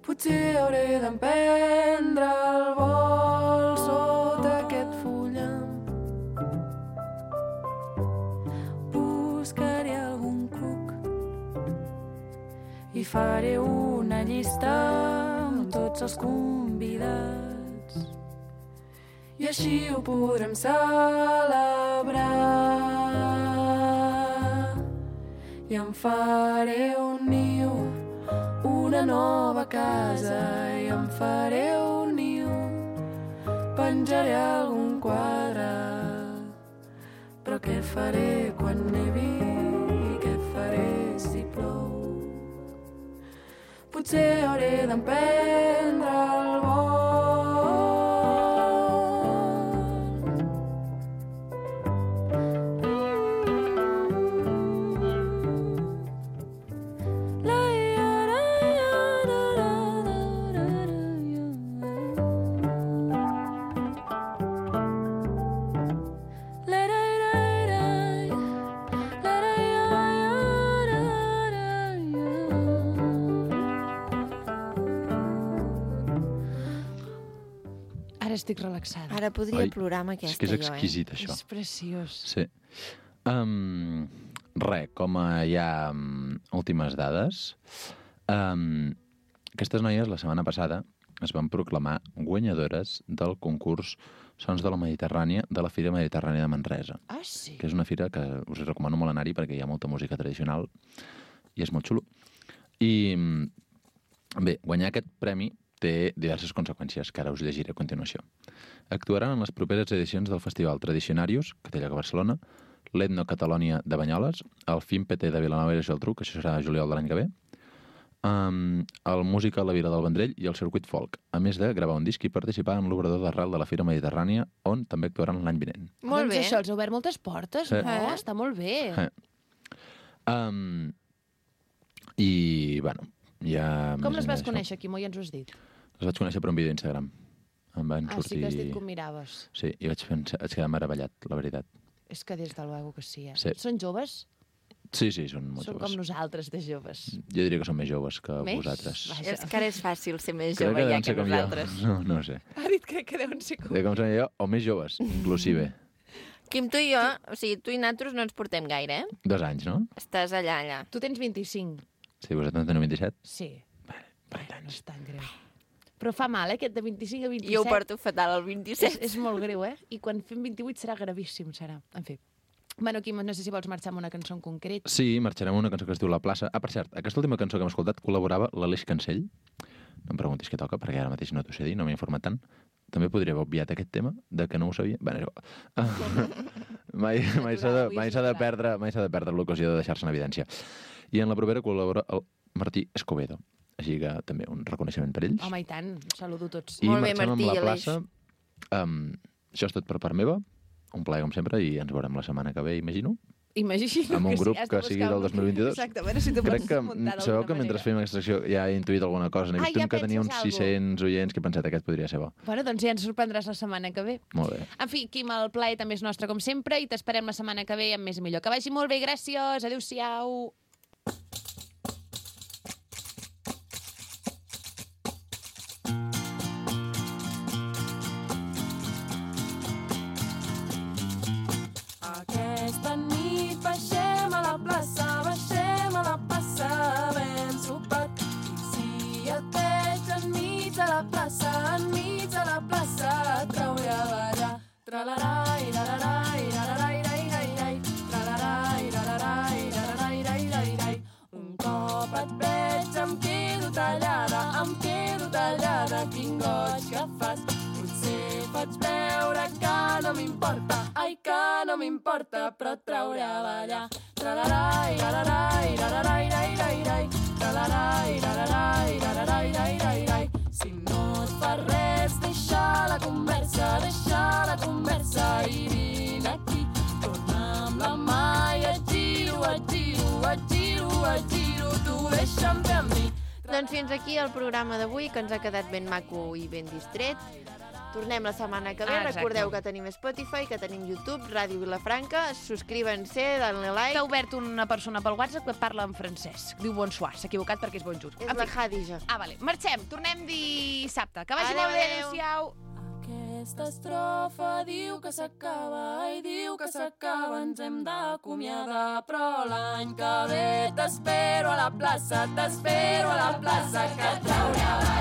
Potser hauré d'emprendre el vol sota aquest fullam. Buscaré algun cuc i faré una llista amb tots els convidats. I així ho podrem celebrar. I em faré un niu, una nova casa, i em faré un niu, penjaré algun quadre. Però què faré quan nevi i què faré si plou? Potser hauré d'emprendre el vol. Estic relaxada. Ara podria plorar amb aquesta, és que és exquisit, això. És preciós. Sí. Com hi ha últimes dades, aquestes noies la setmana passada es van proclamar guanyadores del concurs Sons de la Mediterrània de la Fira Mediterrània de Manresa. Ah, sí? Que és una fira que us recomano molt anar-hi perquè hi ha molta música tradicional i és molt xulo. I bé, guanyar aquest premi té diverses conseqüències que ara us llegiré a continuació. Actuaran en les properes edicions del Festival Tradicionarius, que té lloc a Barcelona, l'Etno Catalònia de Banyoles, el FIMPT de Vilanova i la Geltrú, que això serà a juliol de l'any que ve, el Música a la Vila del Vendrell i el Circuit Folk, a més de gravar un disc i participar en l'obrador d'arrel de la Fira Mediterrània, on també actuaran l'any vinent. Molt bé. Doncs això els ha obert moltes portes, no? Està molt bé. I, bueno, ja... Com les vas conèixer, Quimo? Ja ens ho has dit. Les vaig conèixer per un vídeo d'Instagram. Em van sortir... sí que has dit que ho miraves. Sí, i vaig quedar meravellat, la veritat. És que des de luego que sí, Sí. Són joves? Sí, són molt Són joves. com nosaltres, de joves. Jo diria que són més joves que vosaltres. Vaja. És que ara és fàcil ser més Crec jove ja deuen que ser com nosaltres. jo. No ho sé. Ha dit crec que deuen ser com... De com som jo, o més joves, inclusive. Quim, tu i jo, o sigui, tu i nosaltres no ens portem gaire, eh? 2 anys, no? Estàs allà. Tu tens 25. Sí, vosaltres en teniu 27? Sí. Vale, No és tan greu. Però fa mal, aquest de 25 a 27. Jo ho porto fatal, el 27. És molt greu, eh? I quan fem 28 serà gravíssim, serà. En fi. Bueno, Quim, no sé si vols marxar amb una cançó en concret. Sí, marxarem amb una cançó que es diu La Plaça. Ah, per cert, aquesta última cançó que hem escoltat col·laborava l'Aleix Cancell. No em preguntis què toca, perquè ara mateix no t'ho sé dir, no m'he informat tant. També podria haver obviat aquest tema, de que no ho sabia. Bé, és igual. Mai s'ha de perdre l'ocasió de deixar-se en evidència. I en la propera col·labora el Martí Escobedo. Així que també un reconeixement per ells. Home, i tant. Saludo tots. I Molt bé, marxem Martí amb i La Aleix. Plaça. Això és tot per part meva. Un plaer, com sempre, i ens veurem la setmana que ve, imagino. Imagino amb un que grup has de que buscar sigui del 2022. Exacte, a veure si t'ho Crec pots que, muntar sabeu d'alguna que mentre manera. fèiem aquesta secció ja he intuït alguna cosa. N'he vist ja un que tenia uns penses 600 oients que he pensat aquest podria ser bo. Bueno, doncs ja ens sorprendràs la setmana que ve. Molt bé. En fi, Quim, el plaer també és nostre com sempre i t'esperem la setmana que ve amb més i millor. Que vagi molt bé, gràcies, adéu-siau. Aquesta nit baixem a la plaça, ben sopat. I si et veig enmig de la plaça, trauré a ballar. Tralarai, lalarai, lalarai, rai, rai, rai. Tralarai, lalarai, lalarai, rai, rai, rai. Un cop et veig em quedo tallada, quin goig que fas. Potser faig veure que no m'importa, ai que no m'importa, però et trauré a ballar. Tralarai, lalarai, lalarai, rai, rai, rai. Tralarai, lalarai, lalarai, rai, rai, rai. Si no et fa res, deixa la conversa i vine aquí. Torna amb la mà i et giro, tu deixa'm fer amb mi. Doncs fins aquí el programa d'avui, que ens ha quedat ben maco i ben distret. Tornem la setmana que ve. Exacte. Recordeu que tenim Spotify, que tenim YouTube, Ràdio Vilafranca. Subscriuen-se, danle like. T'ha obert una persona pel WhatsApp que parla en francès. Diu bonsoir, s'ha equivocat perquè és bonjour. És la Hadija. Vale. Marxem, tornem dissabte. Que vagi Adéu, molt bé, adéu. adéu-siau. Aquesta estrofa diu que s'acaba i diu que s'acaba, ens hem d'acomiadar, però l'any que ve t'espero a la plaça, que et trauré a